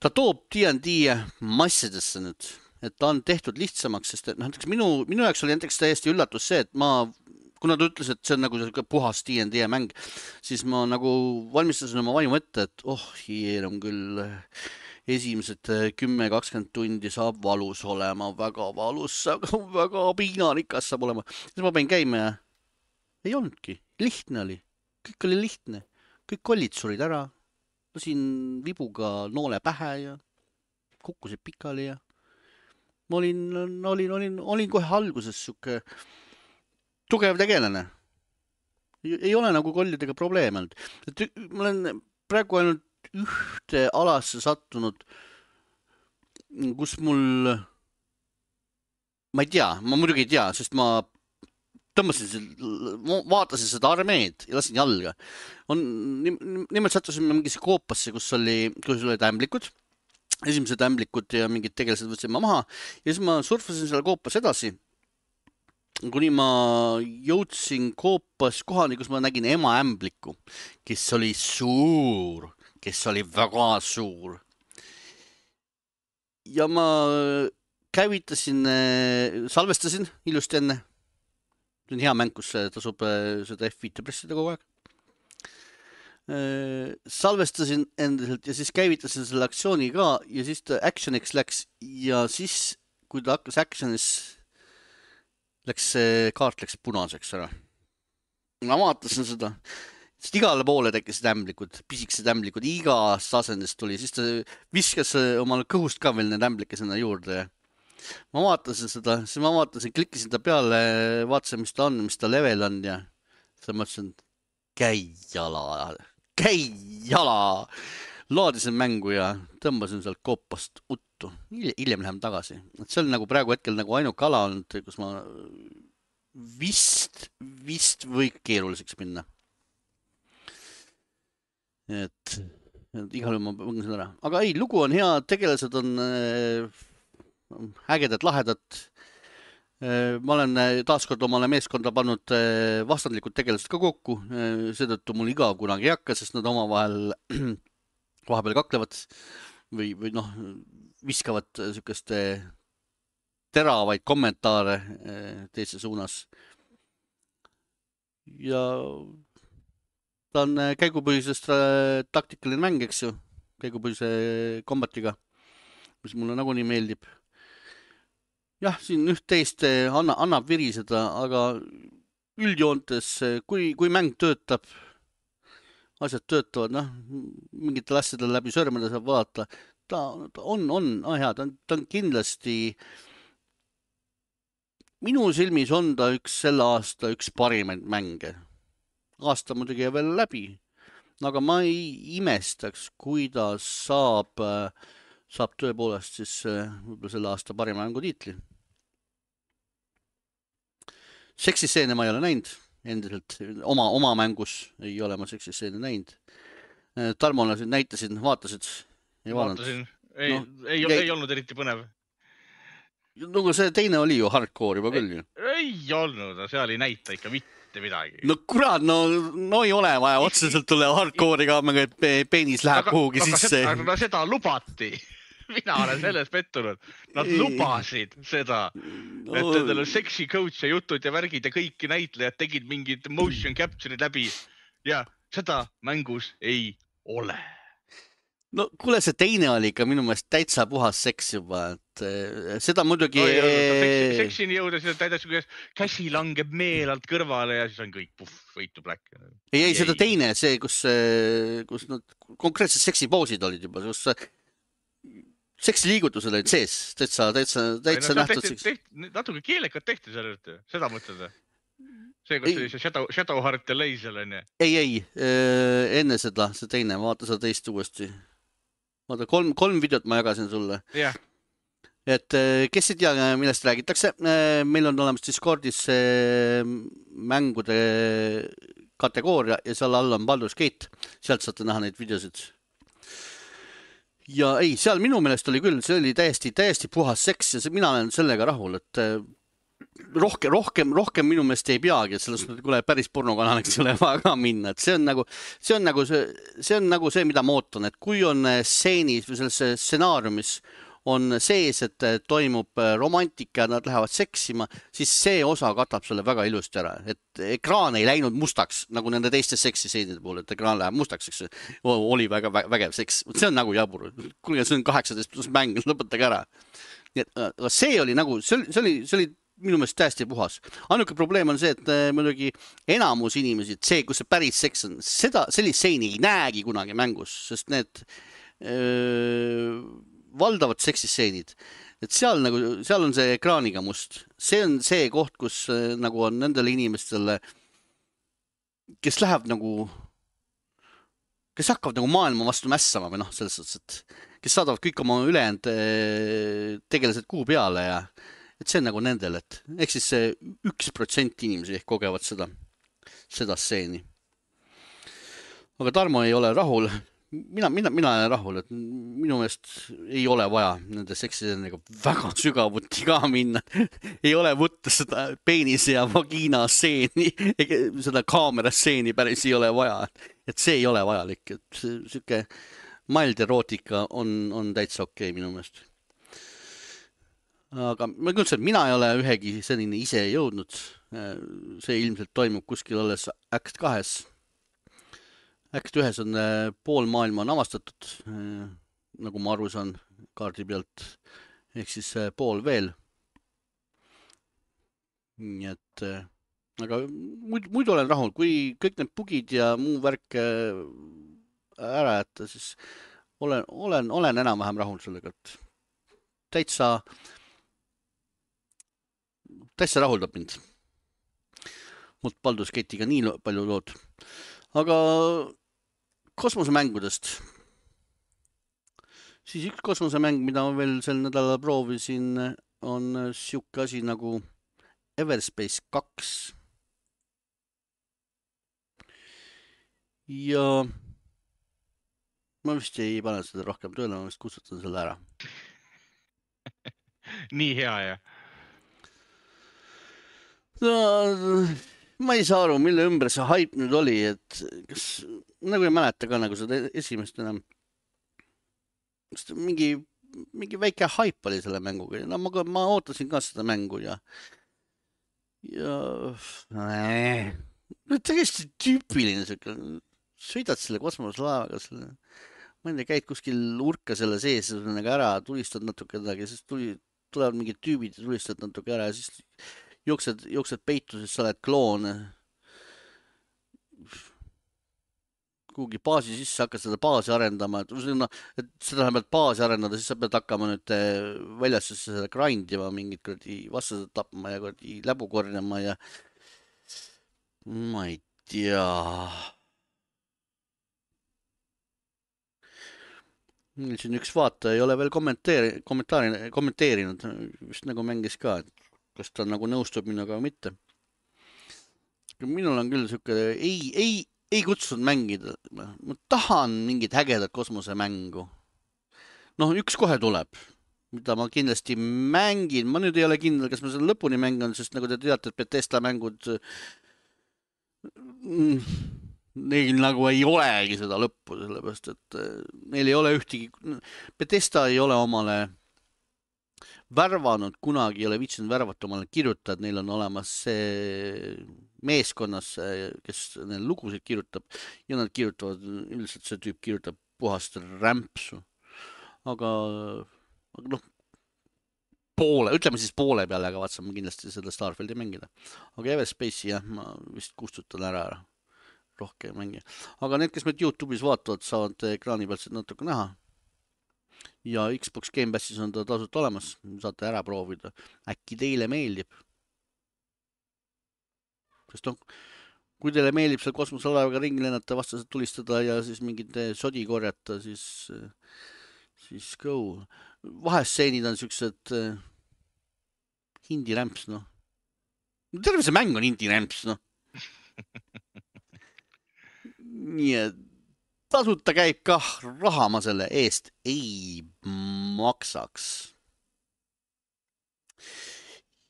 ta toob D and D massidesse nüüd, et ta on tehtud lihtsamaks, sest et näiteks minu, minu jaoks oli näiteks täiesti üllatus see, et ma, kuna ta ütles, et see on nagu puhas D and D mäng, siis ma nagu valmistasin oma vaimu ette, et oh, hier on küll esimesed kümme kakskümmend tundi saab valus olema, väga valus, väga piinarikas saab olema. Siis ma pein käima ja ei olnudki, lihtne oli, kõik oli lihtne, kõik kollid surid ära, lasin vibuga noole pähe ja kukkusid pikali ja ma olin, olin, olin, olin kohe alguses suke tugev tegelane. Ei ole nagu kollidega probleeme olnud. Ma olen praegu ainult ühte alasse sattunud, kus mul, ma ei tea, ma muidugi ei tea, sest ma tõmbasin, vaatasin seda armeed ja lasin jalga. On, nimelt sattusin mingisse koopasse, kus oli, kus olid ämblikud, esimesed ämblikud ja mingid tegelased võtsin ma maha ja siis ma surfasin selle koopas edasi, kuni ma jõudsin koopas kohani, kus ma nägin ema ämbliku, kes oli suur, kes oli väga suur. Ja ma käivitasin, salvestasin ilusti enne. See on hea mäng, kus tasub seda F viis pressida kogu aeg. Salvestasin endiselt ja siis käivitasin selle aktsiooni ka ja siis ta actioniks läks ja siis, kui ta hakkas actionis, läks see kaart läks punaseks ära. Ma vaatasin seda. Sest igale poole tekkisid ämblikud, pisikesed ämblikud, igast asendist tuli, siis ta viskas omale kõhust ka veel need ämblike sinna juurde. Ma vaatasin seda, siis ma vaatasin, klikkisin ta peale, vaatasin, mis ta on, mis ta level on ja siis mõtlesin, käi jala, käi jala. Laadisin mängu ja tõmbasin sealt koopast uttu. Hiljem lähem tagasi. See on nagu praegu hetkel nagu ainuk ala olnud, kus ma vist, vist või keeruliseks minna. Et, et igal juhul ma mõngin ära. Aga ei, lugu on hea, tegelased on äh, ägedad, lahedad. Äh, ma olen taaskord omale meeskonda pannud äh, vastandlikud tegelased ka kokku. Äh, seetõttu mul igav kunagi ei hakka, sest nad omavahel vahepeal kaklevad või, või noh, viskavad sükest teravaid kommentaare äh, teise suunas. Ja ta on käigupõhisest taktikaline mäng, eks ju, käigupõhise kombatiga, mis mulle nagunii meeldib. Jah, siin üht-teist anna, annab viriseda, aga üldjoontes, kui, kui mäng töötab, asjad töötavad, noh, mingitel asjadel läbi sõrmede saab vaadata, ta, ta on, on ah, hea, ta on, ta on kindlasti, minu silmis on ta üks selle aasta üks parimaid mänge. Aasta muidugi veel läbi, aga ma ei imestaks, kui ta saab, saab tõepoolest siis võib-olla selle aasta parima mängu tiitli. Seksiseene ma ei ole näinud, endiselt oma, oma mängus ei ole ma seksiseene näinud. Tarmole näitasin, vaatasid? Ei vaatasin, ei, no, ei, ei, ei olnud eriti põnev. No see teine oli ju hardcore juba küll. Ei, ei olnud, seal ei näita ikka mitte midagi. No kurat, no, no ei ole vaja otseselt tulla hardcore'iga, et peenis läheb aga, kuhugi aga sisse. Seda, aga seda lubati. Mina olen selles pettunud. Nad ei. lubasid seda, no. Et endal on sexy coach ja jutud ja värgid ja kõiki näitlejad tegid mingid motion capture'id läbi ja seda mängus ei ole. No kuule, see teine oli ikka minu meelest täitsa puhas seks juba, et seda muidugi... Oi, seksi, seksini jõuda, seda täidas, kuidas käsi langeb meelalt kõrvale ja siis on kõik puff, võitu black. Ei, ei, seda teine, see, kus, kus nad konkreetselt seksipoosid olid juba, kus seksiliigutused olid sees, täitsa, täitsa, täitsa no, nähtud seks. Natuke keelekad tehti seal juurde, seda mõtled. See, kus oli see Shadow, Shadowheart ja Laser on ju. Ei, ei, enne seda, see teine, vaata seda teist uuesti. Vaata, kolm, kolm videot ma jagasin sulle. Yeah. Et kes ei tea, millest räägitakse, meil on olemas Discordis mängude kategooria ja seal all on Baldur's Gate, sealt saate näha neid videosid. Ja ei, seal minu meelest oli küll, see oli täiesti, täiesti puhas seks ja see, mina olen sellega rahul, et rohkem, rohkem, rohkem minu meelest ei peagi, et sellest kuule päris pornokanaliks ei ole vaja ka minna, et see on nagu see, on nagu see, see, on nagu see, mida ma ootan, et kui on stseenis või selles stsenaariumis on sees, et toimub romantika ja nad lähevad seksima, siis see osa katab selle väga ilusti ära, et ekraan ei läinud mustaks, nagu nende teiste seksiseenide puhul, et ekraan läheb mustaks, eks oli väga vägev seks, see on nagu jabur, kuule, see on kaheksateist pluss mäng, lõpetage ära. Nii et see oli nagu, see oli, see oli, see oli minu meelest täiesti puhas. Ainuke probleem on see, et muidugi enamus inimesi, see, kus see päris seks on, seda, sellist seini ei näegi kunagi mängus, sest need öö, valdavad seksisseenid. Et seal, nagu, seal on see ekraaniga must. See on see koht, kus nagu on nendele inimestele, kes läheb nagu, kes hakkavad nagu maailma vastu mässama või noh, selles suhtes, et kes saadavad kõik oma ülejäänud tegelased kuu peale ja et see on nagu nendel, et ehk siis see üks protsent inimesi ehk kogevad seda, seda stseeni. Aga Tarmo ei ole rahul. Mina, mina, mina olen rahul, et minu meelest ei ole vaja nende seksiseenega väga sügavuti ka minna. Ei ole võtta seda peenise ja vagiina stseeni, seda kaamera stseeni päris ei ole vaja. Et see ei ole vajalik, et siuke mild erootika on, on täitsa okei minu meelest. Aga ma küll, et mina ei ole ühegi selline ise jõudnud. See ilmselt toimub kuskil alles Act kahes. Act ühes on pool maailma on avastatud, nagu ma aru saan kaardi pealt, ehk siis pool veel. Nii et, aga muidu, muidu olen rahul, kui kõik need bugid ja muu värk ära jätta, siis olen, olen, olen enam-vähem rahul sellega, et täitsa täitsa rahuldab mind. Mult Baldur's Gate'iga nii palju lood. Aga kosmosemängudest. Siis üks kosmosemäng, mida ma veel sel nädalal proovisin, on siuke asi nagu Everspace kaks. Ja ma vist ei pane seda rohkem tööle, ma vist kustutan selle ära. Nii hea, jah. No, ma ei saa aru, mille ümber see hype nüüd oli, et kas, nagu ei mäleta ka nagu seda esimest enam. Mingi, mingi väike hype oli selle mänguga. No, ma, ma ootasin ka seda mängu ja ja äh, täiesti tüüpiline siuke, sõidad selle kosmoselaevaga, selle, ma ei tea, käid kuskil urka selle sees ära, tulistad natuke kedagi, siis tuli, tulevad mingid tüübid ja tulistad natuke ära ja siis jooksed, jooksed peitu, siis sa oled kloon. Kuhugi baasi sisse hakkad seda baasi arendama, et, et seda pead baasi arendada, siis sa pead hakkama nüüd väljas seda grindima, mingid kuradi vastased tapma ja kuradi läbu korjama ja ma ei tea. Siin üks vaataja ei ole veel kommentaari, kommentaari, kommenteerinud, vist nagu mängis ka, et kas ta nagu nõustub minuga või mitte. Minul on küll siuke, ei, ei, ei kutsunud mängida. Ma tahan mingit hägedat kosmosemängu. Noh, üks kohe tuleb, mida ma kindlasti mängin. Ma nüüd ei ole kindel, kas ma selle lõpuni mängan, sest nagu te teate, et Bethesda mängud neil nagu ei olegi seda lõppu, sellepärast, et neil ei ole ühtegi, Bethesda ei ole omale värvanud, kunagi ei ole viitsinud värvata omale kirjutajad, neil on olemas see meeskonnas, kes neil lugusid kirjutab ja nad kirjutavad, üldiselt see tüüp kirjutab puhast rämpsu. Aga, aga noh, poole, ütleme siis poole peale, aga vaatsin ma kindlasti seda Starfieldi mängida. Aga Everspace'i jah, ma vist kustutan ära ära. Rohkem mängi. Aga need, kes meid YouTube'is vaatavad, saavad ekraani pealt seda natuke näha. Ja Xbox Game Passis on ta tasult olemas. Saate ära proovida. Äkki teile meeldib. Sest noh, kui teile meeldib seal kosmoselaevaga ringi lennata, vastased tulistada ja siis mingid sodi korjata, siis, siis go. Vahestseenid on siuksed hindi rämps, noh. Terve see mäng on hindi rämps, noh. Nii et tasuta käib kah, raha ma selle eest ei maksaks.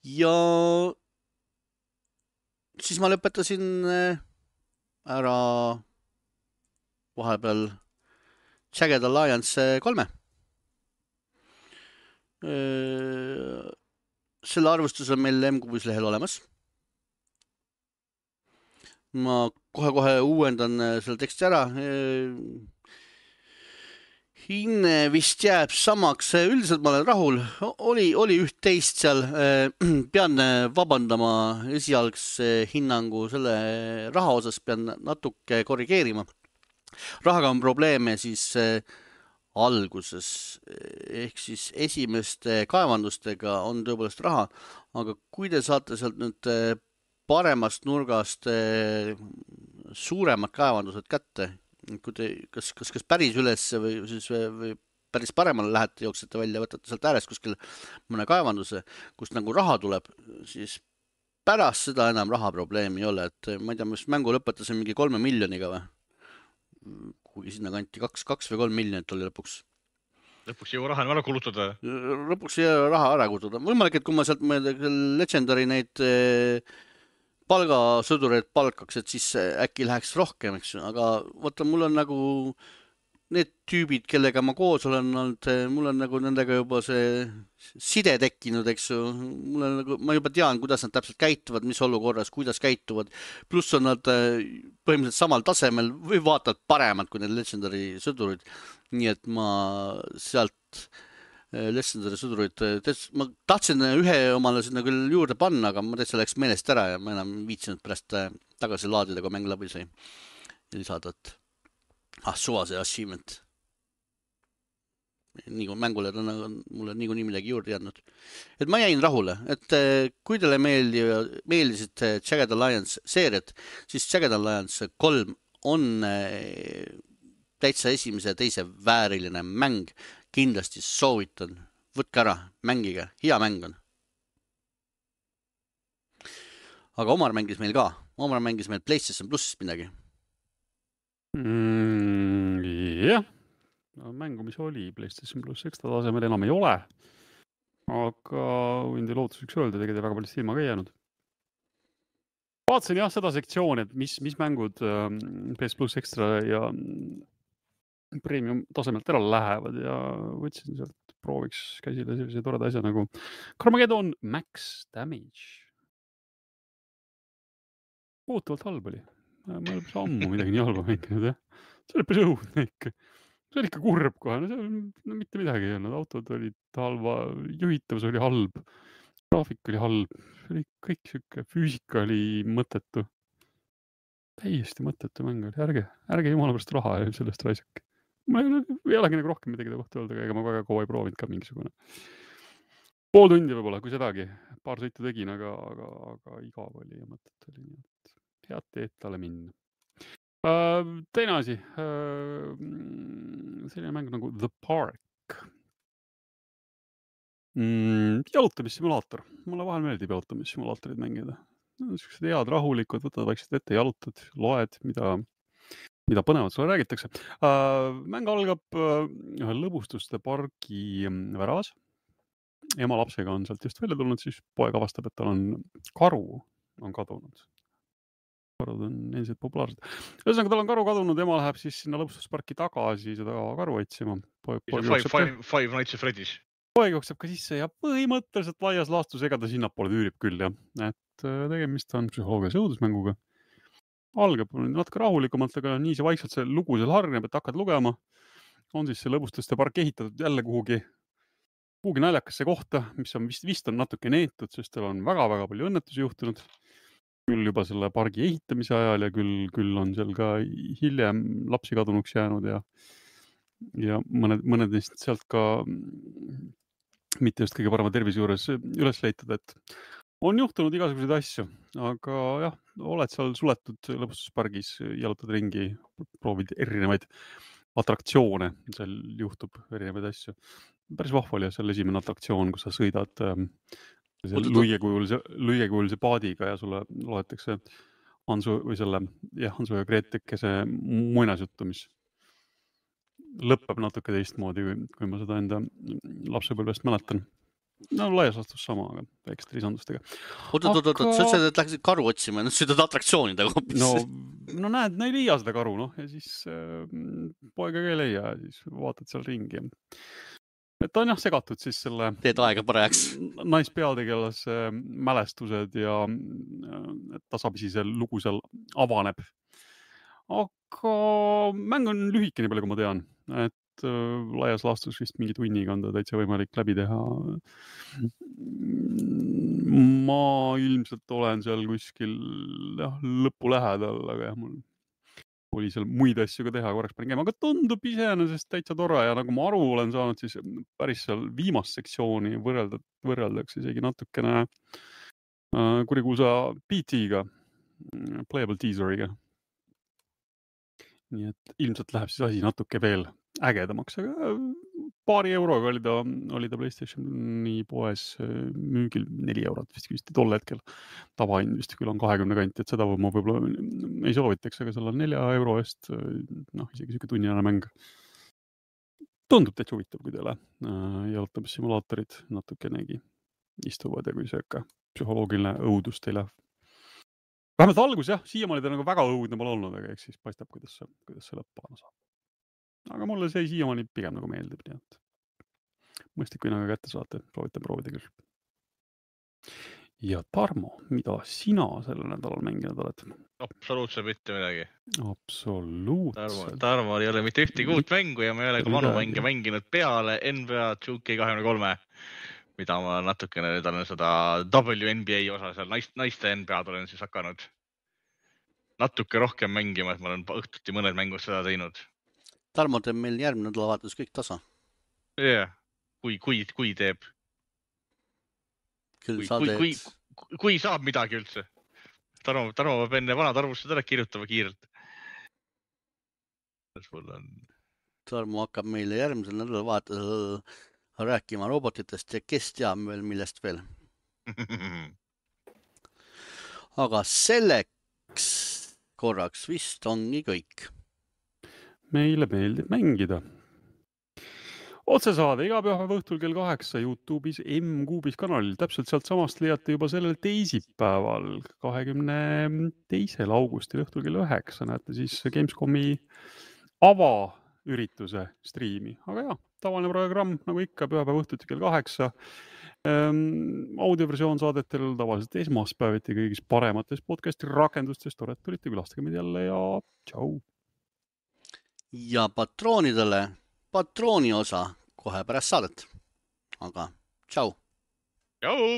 Ja siis ma lõpetasin ära vahepeal Jagged Alliance kolme. Selle arvustus on meil M-Kubis lehel olemas. Ma kohe-kohe uuendan selle teksti ära. Hinne vist jääb samaks. Üldiselt ma olen rahul. Oli, oli üht teist seal. Pean vabandama esialgse hinnangu selle raha osas. Pean natuke korrigeerima. Rahaga on probleeme siis alguses. Ehk siis esimeste kaevandustega on tõepoolest raha. Aga kui te saate sealt nüüd paremast nurgast suuremad kaevandused kätte, kui te, kas, kas, kas päris üles või, siis, või päris paremale lähete, jooksete välja, võtate sealt äärest kuskil mõne kaevanduse, kust nagu raha tuleb, siis pärast seda enam raha probleemi ei ole. Et ma ei tea, mis mängu lõpetasin mingi kolme miljoniga või? Kuigi sinna kanti kaks, kaks või kolm miljonit oli lõpuks. Lõpuks ei jõua raha ära kulutada. Lõpuks ei jõua raha ära kulutada. Võimalik, et kui ma sealt Legendary neid palgasõdureid palkaks, et siis äkki läheks rohkem, eks. Aga võtta, mul on nagu need tüübid, kellega ma koos olen olnud, mul on nagu nendega juba see side tekkinud, eks ju. Mul on nagu, ma juba tean, kuidas nad täpselt käituvad, mis olukorras, kuidas käituvad. Pluss on nad põhimõtteliselt samal tasemel või vaatavad paremad kui need Legendary sõdurid. Nii et ma sealt Legendary sõdurid, ma tahtsin ühe omale sinna küll juurde panna, aga ma täitsa läks meelest ära ja ma enam viitsinud pärast tagasi laadida, kui mäng läbi sai. Ja lisada, et ah, suva see achievement. Nii kui mängule on mulle nii kui nii midagi juurde jäänud. Et ma jäin rahule, et kui teile meeldi, meeldisid Jagged Alliance seeriad, siis Jagged Alliance kolm on täitsa esimese ja teise vääriline mäng. Kindlasti soovitan, võtke ära, mängige, hea mäng on. Aga Omar mängis meil ka, Omar mängis meil PlayStation plussist midagi. Mm, jah, mängu, mis oli PlayStation pluss ekstra tasemel enam ei ole, aga võin teil lootuseks öelda, tegelikult väga palju silma ka ei jäänud. Vaatasin jah seda sektsiooni, et mis, mis mängud P S pluss ekstra ja premium tasemelt ära lähevad ja võtsin sealt prooviks käsile sellise toreda asja nagu Carmageddon Max Damage. Ootavalt halb oli. Ma ei ole päris ammu midagi nii halba mänginud, jah. See oli päris õudne ikka. See oli ikka kurb kohe. No, no mitte midagi ei olnud. Autod olid halva, juhitavus oli halb, graafik oli halb. See oli kõik siuke, füüsika oli mõttetu. Täiesti mõttetu mäng oli. Ärge, ärge jumala pärast raha sellest raisake. Ma ei, ei olegi nagu rohkem midagi kohta öelda, ega ma väga kaua ei proovinud ka mingisugune. Pool tundi võib-olla, kui sedagi. Paar sõitu tegin, aga, aga, aga igav oli ja mõtet oli nii, et head teed talle minna. Uh, teine asi. Uh, selline mäng nagu The Park. Mm, jalutamissimulaator. Mulle vahel meeldib jalutamissimulaatorid mängida. Sellised head rahulikud, võtad vaikselt ette, jalutad, loed, mida... mida põnevat sulle räägitakse. Mäng algab ühe lõbustuste pargi väravas. Ema lapsega on sealt just välja tulnud, siis poeg avastab, et tal on karu on kadunud. Karud on endiselt populaarsed. Ühesõnaga, tal on karu kadunud, ema läheb siis sinna lõbustusparki tagasi seda karu otsima. Poeg, poeg five, five, five Nights at Freddy's. Poeg jookseb ka sisse ja põhimõtteliselt laias laastus ega ta sinnapoole üürib küll, jah. Et tegemist on psühholoogias õudusmänguga. Algab natuke rahulikumalt, aga nii see vaikselt see lugu seal hargneb, et hakkad lugema. On siis see lõbustuste park ehitatud jälle kuhugi, kuhugi naljakasse kohta, mis on vist, vist on natuke neetud, sest tal on väga-väga palju õnnetusi juhtunud. Küll juba selle pargi ehitamise ajal ja küll, küll on seal ka hiljem lapsi kadunuks jäänud ja, ja mõned, mõned neist sealt ka mitte just kõige parema tervise juures üles leitud, et on juhtunud igasuguseid asju, aga jah, oled seal suletud lõbustuspargis, jalutad ringi, proovid erinevaid atraktsioone, seal juhtub erinevaid asju. Päris vahva oli seal esimene atraktsioon, kus sa sõidad luigekujulise, luigekujulise paadiga ja sulle loetakse Hansu või selle, jah, Hansu ja Gretekese muinasjuttu, mis lõpeb natuke teistmoodi, kui ma seda enda lapsepõlvest mäletan. No laias laastus sama, aga väikeste lisandustega. Oot, oot, oot, oot, sa ütlesid, et läksid karu otsima, nüüd sõidad atraktsioonidega hoopis. No, no näed, no ei leia seda karu, noh, ja siis äh, poega ka ei leia ja siis vaatad seal ringi. Et on jah segatud siis selle teed aega parajaks. Naispeategelase mälestused ja tasapisi see lugu seal avaneb. Aga mäng on lühike, nii palju kui ma tean, et äh, laias laastus vist mingi tunniga on ta täitsa võimalik läbi teha. Ma ilmselt olen seal kuskil jah, lõpu lähedal, aga jah, mul oli seal muid asju ka teha, korraks panin käima, aga tundub iseenesest täitsa tore ja nagu ma aru olen saanud, siis päris seal viimast sektsiooni võrrelda, võrreldaks isegi natukene äh, kurikuusa P T-ga, playable teaseriga. Nii et ilmselt läheb siis asi natuke veel ägedamaks, aga paari euroga oli ta, oli ta PlayStationi poes müügil neli eurot vist vist tol hetkel. Tavahind vist küll on kahekümne kanti, et seda ma võib-olla ei soovitaks, aga selle nelja euro eest, noh, isegi siuke tunniajane mäng. Tundub täitsa huvitav, kui teile jalutamissimulaatorid natukenegi istuvad ja kui see ikka psühholoogiline õudus teile. Vähemalt algus jah, siiamaani ta nagu väga õudne pole olnud, aga eks siis paistab, kuidas see, kuidas see lõppana saab. Aga mulle see siiamaani pigem nagu meeldib, nii et mõistlik, kui nagu kätte saate, proovitan proovida küll. Ja Tarmo, mida sina sellel nädalal mänginud oled? Absoluutselt mitte midagi. Absoluutselt. Tarmo, Tarmo ei ole mitte ühti kuut mängu ja ma ei ole ka vanu mänge mänginud peale N B A two K twenty-three, mida ma natukene nüüd olen seda W N B A osa seal naiste N B A-d olen siis hakanud natuke rohkem mängima, et ma olen õhtuti mõned mängud seda teinud. Tarmo teeb meil järgmine nädalavahetus kõik tasa. Jah, yeah. kui, kui, kui teeb. Küll kui, sa teed. Kui, kui, kui saab midagi üldse. Tarmo, Tarmo peab enne vanad arvustused ära kirjutama kiirelt. On... Tarmo hakkab meile järgmisel nädalavahetusel rääkima robotitest ja kes teab veel millest veel. Aga selleks korraks vist ongi kõik. Meile meeldib mängida. Otsesaade iga pühapäeva õhtul kell kaheksa YouTube'is M-Kuubis kanalil. Täpselt sealt samast leiate juba sellel teisipäeval, kahekümne teisel augustil õhtul kell üheksa. Näete siis Gamescomi avaürituse striimi. Aga jah, tavaline programm nagu ikka pühapäeva õhtuti kell kaheksa. Ähm, audioversioon saadetel tavaliselt esmaspäeviti kõigis paremates podcasti rakendustes. Tore, et tulite külastage meid jälle ja tšau! Ja patroonidele patrooni osa kohe pärast saadet. Aga tšau! Tšau!